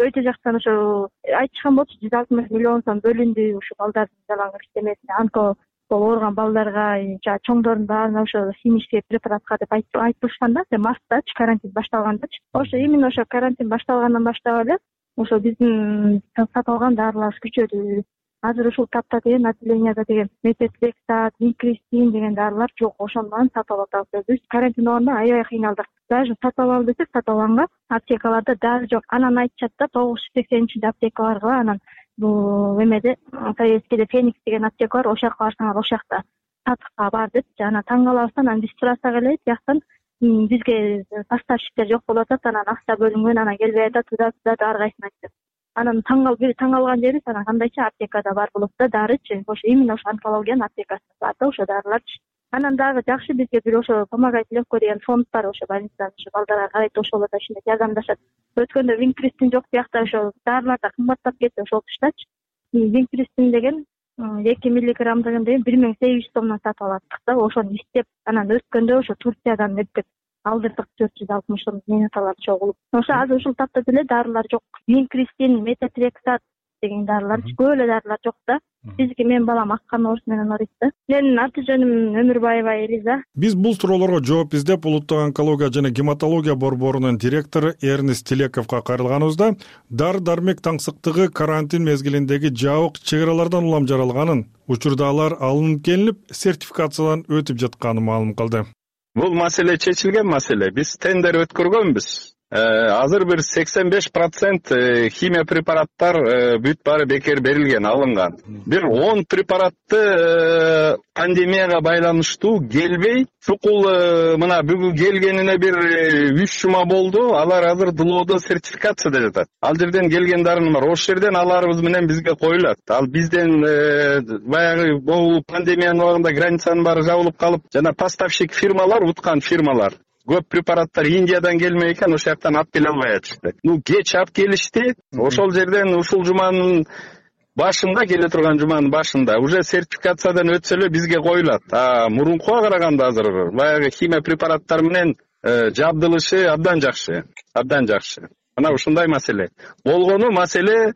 өтө жактан ошо айтышкан болчу жүз алтымыш миллион сом бөлүндү ушу балдардын жалаң иштемесине, онко болуп ооруган балдарга, жана чоңдордун баарына ошо химический препаратка деп айтылышкан да, марттачы карантин башталгандачы. Ошо именно ошо карантин башталгандан баштап эле ошо биздин сатып алган даарыларыбыз күчөдү. Азыр ушул тапта деген отделенияда деген метотрексат, винкристин деген даарылар жок, ошондон сатып алып атабыз. Биз карантин убагында аябай кыйналдык. Даже сатып алалы десек сатып алганга аптекаларда дары жок. Анан айтышат да тогуз жүз сексенинчи аптекаларга, анан бул эмеде Советскийде Феникс деген аптека бар, ошол жака барсаңар ошол жакта сатыкка бар депчи. Анан таң калабыз, анан биз сурасак эле тияктан бизге поставщиктер жок болуп атат, анан акча бөлүнгөн, анан келбей атат, туда туда ар кайсын айтып. Анан таң калып бир таң калган жерибиз, анан кандайчы аптекада бар болот да дарычы. Ошо именно ошо онкологиянын аптекасында бар да ошо дарыларчы. Анан дагы жакшы бизге бир ошо помогать легко деген фонд бар, ошо больницадан ошо балдарга карайт, ошол да ишинде жардамдашат. Өткөндө винкристин жок биякта ошо дарылар да кымбаттап кетти ошол туштачы. Винкристин деген эки миллиграммдыгын деген бир миң сегиз жүз сомдон сатып алаттык да, ошону иштеп, анан өткөндө ошо Турциядан эптеп алдырдык төрт жүз алтымыш сом менаталар чогулуп. Ошо азыр ушул тапта деле дарылар жок. Винкристин, метотрексат деген дарылар, көп эле дарылар жок да. Бизге менин балам аккан оорусу менен ооруйт да. Менин аты жөнүм Өмүрбаева Элиза. Биз бул суроолорго жооп издеп улуттук онкология жана гематология борборунун директору Эрнест Телековго кайрылганыбызда дары-дармек таңсыктыгы карантин мезгилиндеги жабык чек аралардан улам жаралганын, учурда алар алынып келинип, сертификациядан өтүп жатканын маалым кылды. Бул маселе чечилген маселе. Биз тендер өткөргөнбүз. Азыр бир сексен беш процент химия препараттар бүт баары бекер берилген, алынган. Бир он препаратты пандемияга байланыштуу келбей, чукул мына бүгүн келгенине бир үч жума болду. Алар азыр дылоодо сертификацияда жатат. Ал жерден келген дарын бар. Ошол жерден аларыбыз менен бизге коюлат. Ал бизден баягы бул пандемиянын убагында границанын баары жабылып калып, жана поставщик фирмалар, уткан фирмалар көп препараттар Индиядан келмей экен, ошол жактан алып келе албай атышты. Ну, кеч алып келишти. Ошол жерден ушул жуманын башында, келе турган жуманын башында уже сертификациядан өтсө эле бизге коюлат. А мурункуга караганда азыр баягы химия препараттар менен жабдылышы абдан жакшы, абдан жакшы. Мына ушундай маселе. Болгону маселе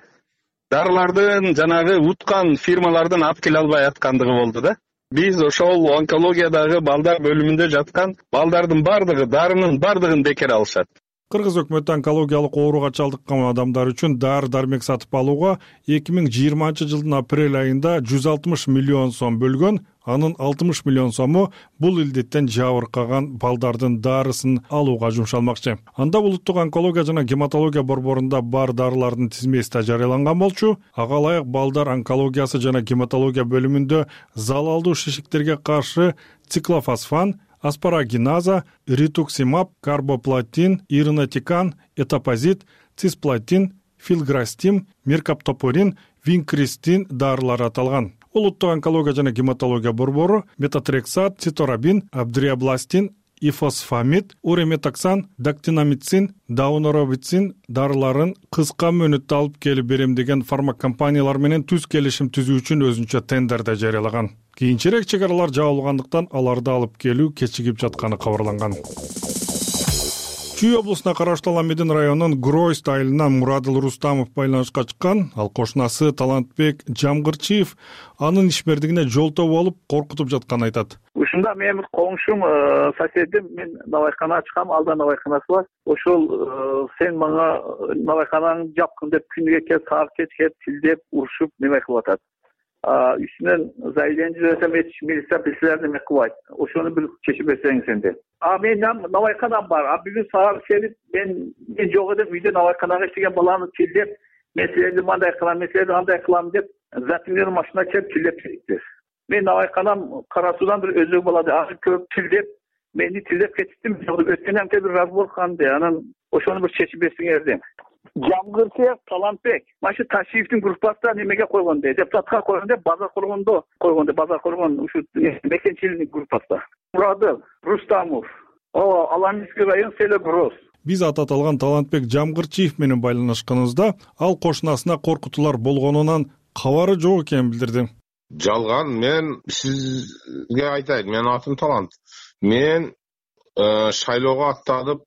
дарылардын жанагы уткан фирмалардан алып келе албай аткандыгы болду да. Биз ошол онкологиядагы балдар бөлүмүндө жаткан балдардын бардыгы, дарынын бардыгын бекер алышат. Кыргыз өкмөтү онкологиялык ооруга чалдыккан адамдар үчүн дары-дармек сатып алууга эки миң жыйырманчы жылдын апрель айында жүз алтымыш миллион сом бөлгөн, анын алтымыш миллион сому бул илдеттен жабыркаган балдардын дарысын алууга жумшалмакчы. Анда улуттук онкология жана гематология борборунда бар дарылардын тизмеси да жарыяланган болчу. Ага ылайык балдар онкологиясы жана гематология бөлүмүндө залалдуу шишиктерге каршы циклофосфан, аспарагиназа, ритуксимаб, карбоплатин, иринотикан, этапозит, цисплатин, филграстим, меркаптопурин, винкристин дарылары аталган. Улуттук онкология жана гематология борбору метотрексат, циторабин, абдриабластин, ифосфамид, уреметоксан, дактинамицин, дауноробицин дарыларын кыска мөөнөттө алып келип берем деген фармакомпаниялар менен түз келишим түзүү үчүн өзүнчө тендерде жарыялаган. Кийинчерээк чек аралар жабылгандыктан аларды алып келүү кечигип жатканы кабарланган. Чүй облусуна караштуу Аламедин районунун Гройст айылынан Мурадыл Рустамов байланышка чыккан. Ал кошунасы Талантбек Жамгырчиев анын ишмердигине жолтоо болуп коркутуп жатканын айтат. Ушунда менин коңшум, соседим, мен навайкана ачкам, алда навайканасы бар. Ошол сен мага навайканаңды жапкын деп күнүгө келип, саат кечке тилдеп, урушуп неме кылып атат. Үстүнөн заявление жасасам, милиция билсилер неме кылбайт. Ошону бир чечип берсеңиз энди. А мен навайканам бар. А бүгүн саат келип, мен мен жок элем, үйдө навайканага иштеген баланы тилдеп, мен силерди мындай кылам, мен силерди андай кылам деп, запинер машина чеп тилдеп кетти. мен набайканам Кара Суудан бир өзөк балады, аны көп тилдеп, мени тилдеп кетиптим. Өткөн амке бир раз болгонде, анан ошону бир чечип берсеңер дейм. Жамгырсыяк Талантбек машы Ташиевдин группасына немеге койгон дейт, депутатка койгон дейт, базар коргондо койгон дейт, базар коргон ушу мекенчиликтин группасына. Мурадов Рустамов, о, Аланский район село Гроз. Биз аты аталган Талантбек Жамгырчиев менен байланышканыбызда ал кошунасына коркутуулар болгонунан кабары жок экенин билдирди. Жалган, мен сизге айтайын, менин атым Талант. Мен шайлоого аттанып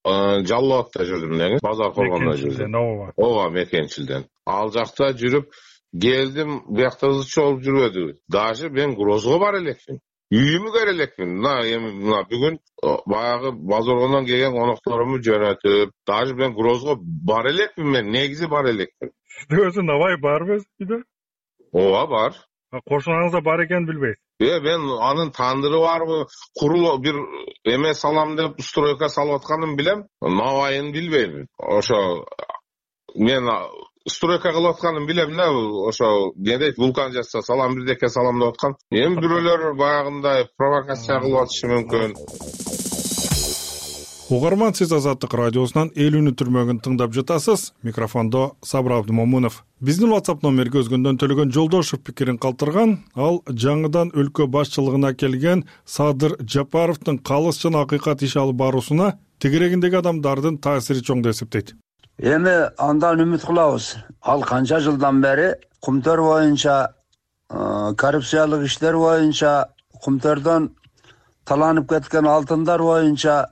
Жалал абадта жүрдүм деңиз, базар коргондо жүрдүм. Ооба, мекенчилден. Ал жакта жүрүп келдим, биякта ызы чогулуп жүрбөдү. Даже мен Грозго бара элекмин. Үйүмө кире элекмин. Мына эми мына бүгүн баягы базаргондон келген конокторумду жөнөтүп, даже мен Грозго бара элекмин, мен негизи бара элекмин. Өзү Навай барбы үйдө? Ооба, бар. Кошунаңызда бар экенин билбейсиз? Э, мен анын тандыры барбы, курул бир эме салам деп стройка салып атканын билем, Навайын билбейм. Ошо мен стройка кылып атканын билем да, ошо не дейт, вулкан жасса салам бирдеке салам деп аткан. Эми бирөөлөр баягындай провокация кылып атышы мүмкүн. Угарман, сиз Азаттык радиосунан элүүнү түрмөгүн тыңдап жатасыз. Микрофондо Сабыр Абдымомунов. Биздин WhatsApp номерге өзгөндөн Төлөгөн Жолдошев пикирин калтырган. Ал жаңыдан өлкө башчылыгына келген Садыр Жапаровдун калыс жана акыйкат иш алып баруусуна тегерегиндеги адамдардын таасири чоң деп эсептейт. Эми андан үмүт кылабыз. Ал канча жылдан бери Кумтөр боюнча, коррупциялык иштер боюнча, Кумтөрдөн таланып кеткен алтындар боюнча,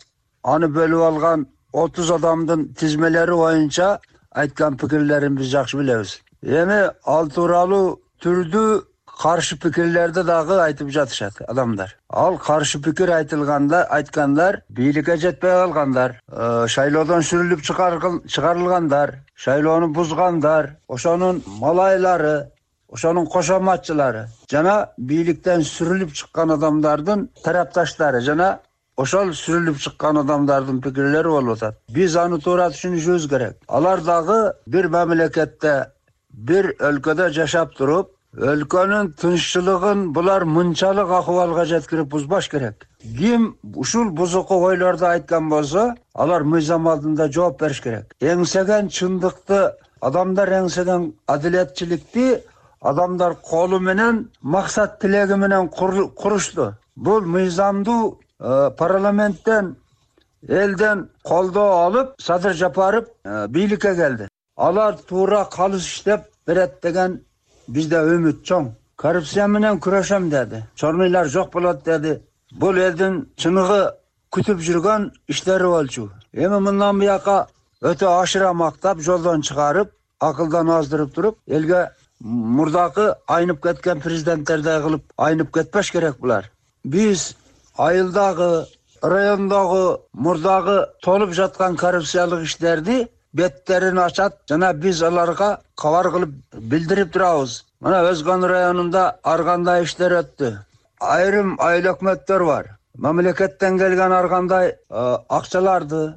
аны бөлүп алган отуз адамдын тизмелери боюнча айткан пикирлерин биз жакшы билебиз. Эми ал тууралуу түрдүү каршы пикирлерди дагы айтып жатышат адамдар. Ал каршы пикир айтылганда, айткандар бийликке жетпей калгандар, шайлоодон сүрүлүп чыгарылгандар, шайлоону бузгандар, ошонун малайлары, ошонун кошоматчылары жана бийликтен сүрүлүп чыккан адамдардын тарапташтары жана ошол сүрүлүп чыккан адамдардын пикирлери болуп атат. Биз аны туура түшүнүшүбүз керек. Алар дагы бир мамлекетте, бир өлкөдө жашап туруп, өлкөнүн тынччылыгын булар мынчалык акыбалга жеткирип бузбаш керек. Ким ушул бузуку ойлорду айткан болсо, алар мыйзам алдында жооп бериш керек. Эңсеген чындыкты, адамдар эңсеген адилетчиликти адамдар колу менен, максат тилеги менен курушту. Бул мыйзамдуу парламенттен, элден колдоо алып, Садыр Жапаров бийликке келди. Алар туура калыс иштеп берет деген бизде үмүт чоң. Коррупция менен күрөшөм деди. Чорнуйлар жок болот деди. Бул элдин чыныгы күтүп жүргөн иштери болчу. Эми мындан бияка өтө ашыра мактап, жолдон чыгарып, акылдан аздырып туруп, элге мурдакы айнып кеткен президенттердей кылып айнып кетпеш керек булар. Биз айылдагы, райондогу, мурдагы толуп жаткан коррупциялык иштерди беттерин ачат жана биз аларга кабар кылып билдирип турабыз. Мына Өзгөн районунда ар кандай иштер өттү. Айрым айыл өкмөттөр бар. Мамлекеттен келген ар кандай акчаларды,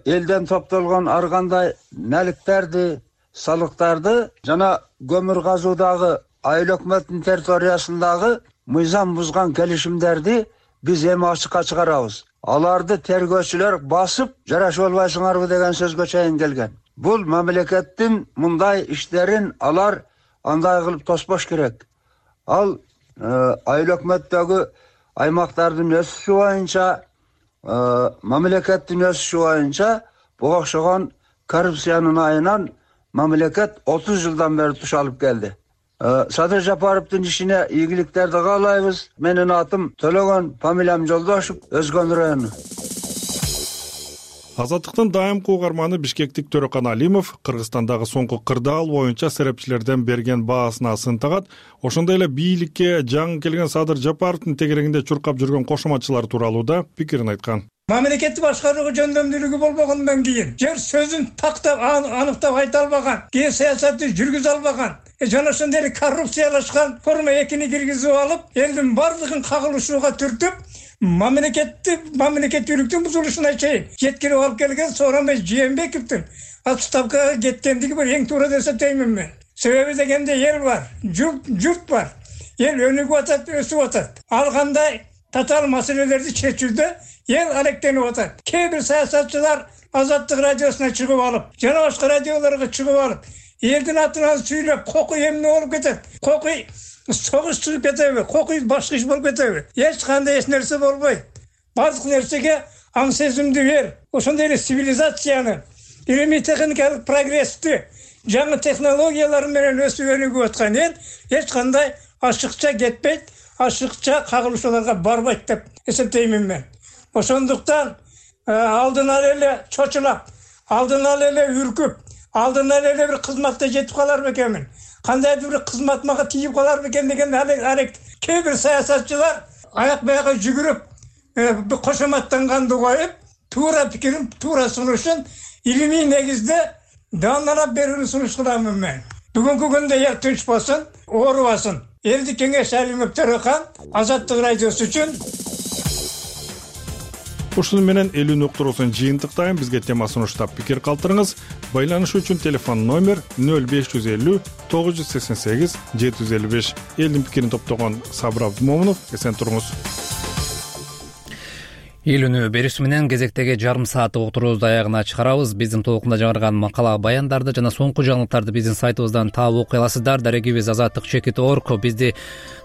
элден топтолгон ар кандай наликтерди, салыктарды жана көмүр казуудагы айыл өкмөттүн территориясындагы мыйзам бузган келишимдерди биз эми ачыкка чыгарабыз. Аларды тергөөчүлөр басып, жарашып албайсыңарбы деген сөзгө чейин келген. Бул мамлекеттин мындай иштерин алар андай кылып тоспош керек. Ал айыл өкмөттөгү аймактардын өсүшү боюнча, мамлекеттин өсүшү боюнча буга окшогон коррупциянын айынан мамлекет отуз жылдан бери туш алып келди. Садыр Жапаровдун ишине ийгиликтерди каалайбыз. Менин атым Төлөгөн, фамилиям Жолдошев, Өзгөн району. Азаттыктын дайымкы угарманы Бишкектик Төрөкан Алимов Кыргызстандагы соңку кырдаал боюнча серепчилерден берген баасына сынтагат. Ошондой эле бийликке жаңы келген Садыр Жапаровдун тегерегинде чуркап жүргөн кошоматчылар тууралуу да пикирин айткан. Мамлекетти башкарууга жөндөмдүүлүгү болбогондон кийин, жер сөзүн тактап, аныктап айта албаган, ке саясатты жүргүзө албаган, жана ошондой эле коррупциялашкан форма экини киргизип алып, элдин бардыгын кагылышууга түртүп, мамлекетти, мамлекеттүүлүктүн бузулушуна чейин жеткирип алып келген Сооронбай Жээнбековдун отставкага кеткендиги бир эң туура деп эсептеймин мен. Себеби дегенде эл бар, журт, журт бар. эл өнүгүп атат, өсүп атат. Ал кандай татаал маселелерди чечүүдө эл алектенип атат. Кээ бир саясатчылар Азаттык радиосуна чыгып алып, жана башка радиолорго чыгып алып, элдин атынан сүйлөп, кокуй эмне болуп кетет? Кокуй согуш чыгып кетеби? Кокуй башка иш болуп кетеби? Эч кандай эч нерсе болбойт. Бардык нерсеге аң сезимди бер. Ошондой эле цивилизацияны, илимий техникалык прогрессти, жаңы технологиялар менен өсүп өнүгүп аткан эл эч кандай ашыкча кетпейт, ашыкча кагылышууларга барбайт деп эсептеймин мен. Ошондуктан алдын ала эле чочулап, алдын ала эле үркүп, алдын ала эле бир кызматта жетип калар бекенмин. Кандайдыр бир кызмат мага тийип калар бекен деген арек. Кээ бир саясатчылар аяк баягы жүгүрүп, кошоматтанганды коюп, туура пикирин, туура сунушун илимий негизде даамдап берүүнү сунуш кыламын мен. Бүгүнкү күндө эл тынч болсун, оорубасын. Элдик кеңеш Алимов Төрөкан, Азаттык радиосу үчүн. Ушуну менен элүү уктуруусун жыйынтыктайм. Бизге тема сунуштап пикир калтырыңыз. Байланыш үчүн телефон номер нөл беш жүз элүү тогуз жүз сексен сегиз жети жүз элүү беш. Элдин пикирин топтогон Сабыр Абдымомунов, эсен туруңуз. Илүүнү берүүсү менен кезектеги жарым сааттык уктуруубузду аягына чыгарабыз. Биздин толкунда жаңырган макала баяндарды жана соңку жаңылыктарды биздин сайтыбыздан таап окуй аласыздар. Дарегибиз азаттык чекит точка орг. Бизди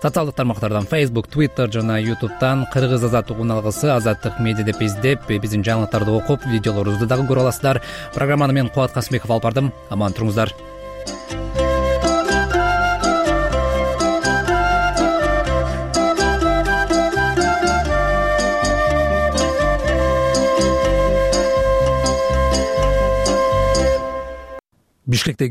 социалдык тармактардан Facebook, Twitter жана YouTube'дан кыргыз азаттык уналгысы азаттык медиа деп издеп, биздин жаңылыктарды окуп, видеолорубузду дагы көрө аласыздар. Программаны мен Кубат Касымбеков алып бардым. Аман туруңуздар. Бишкекте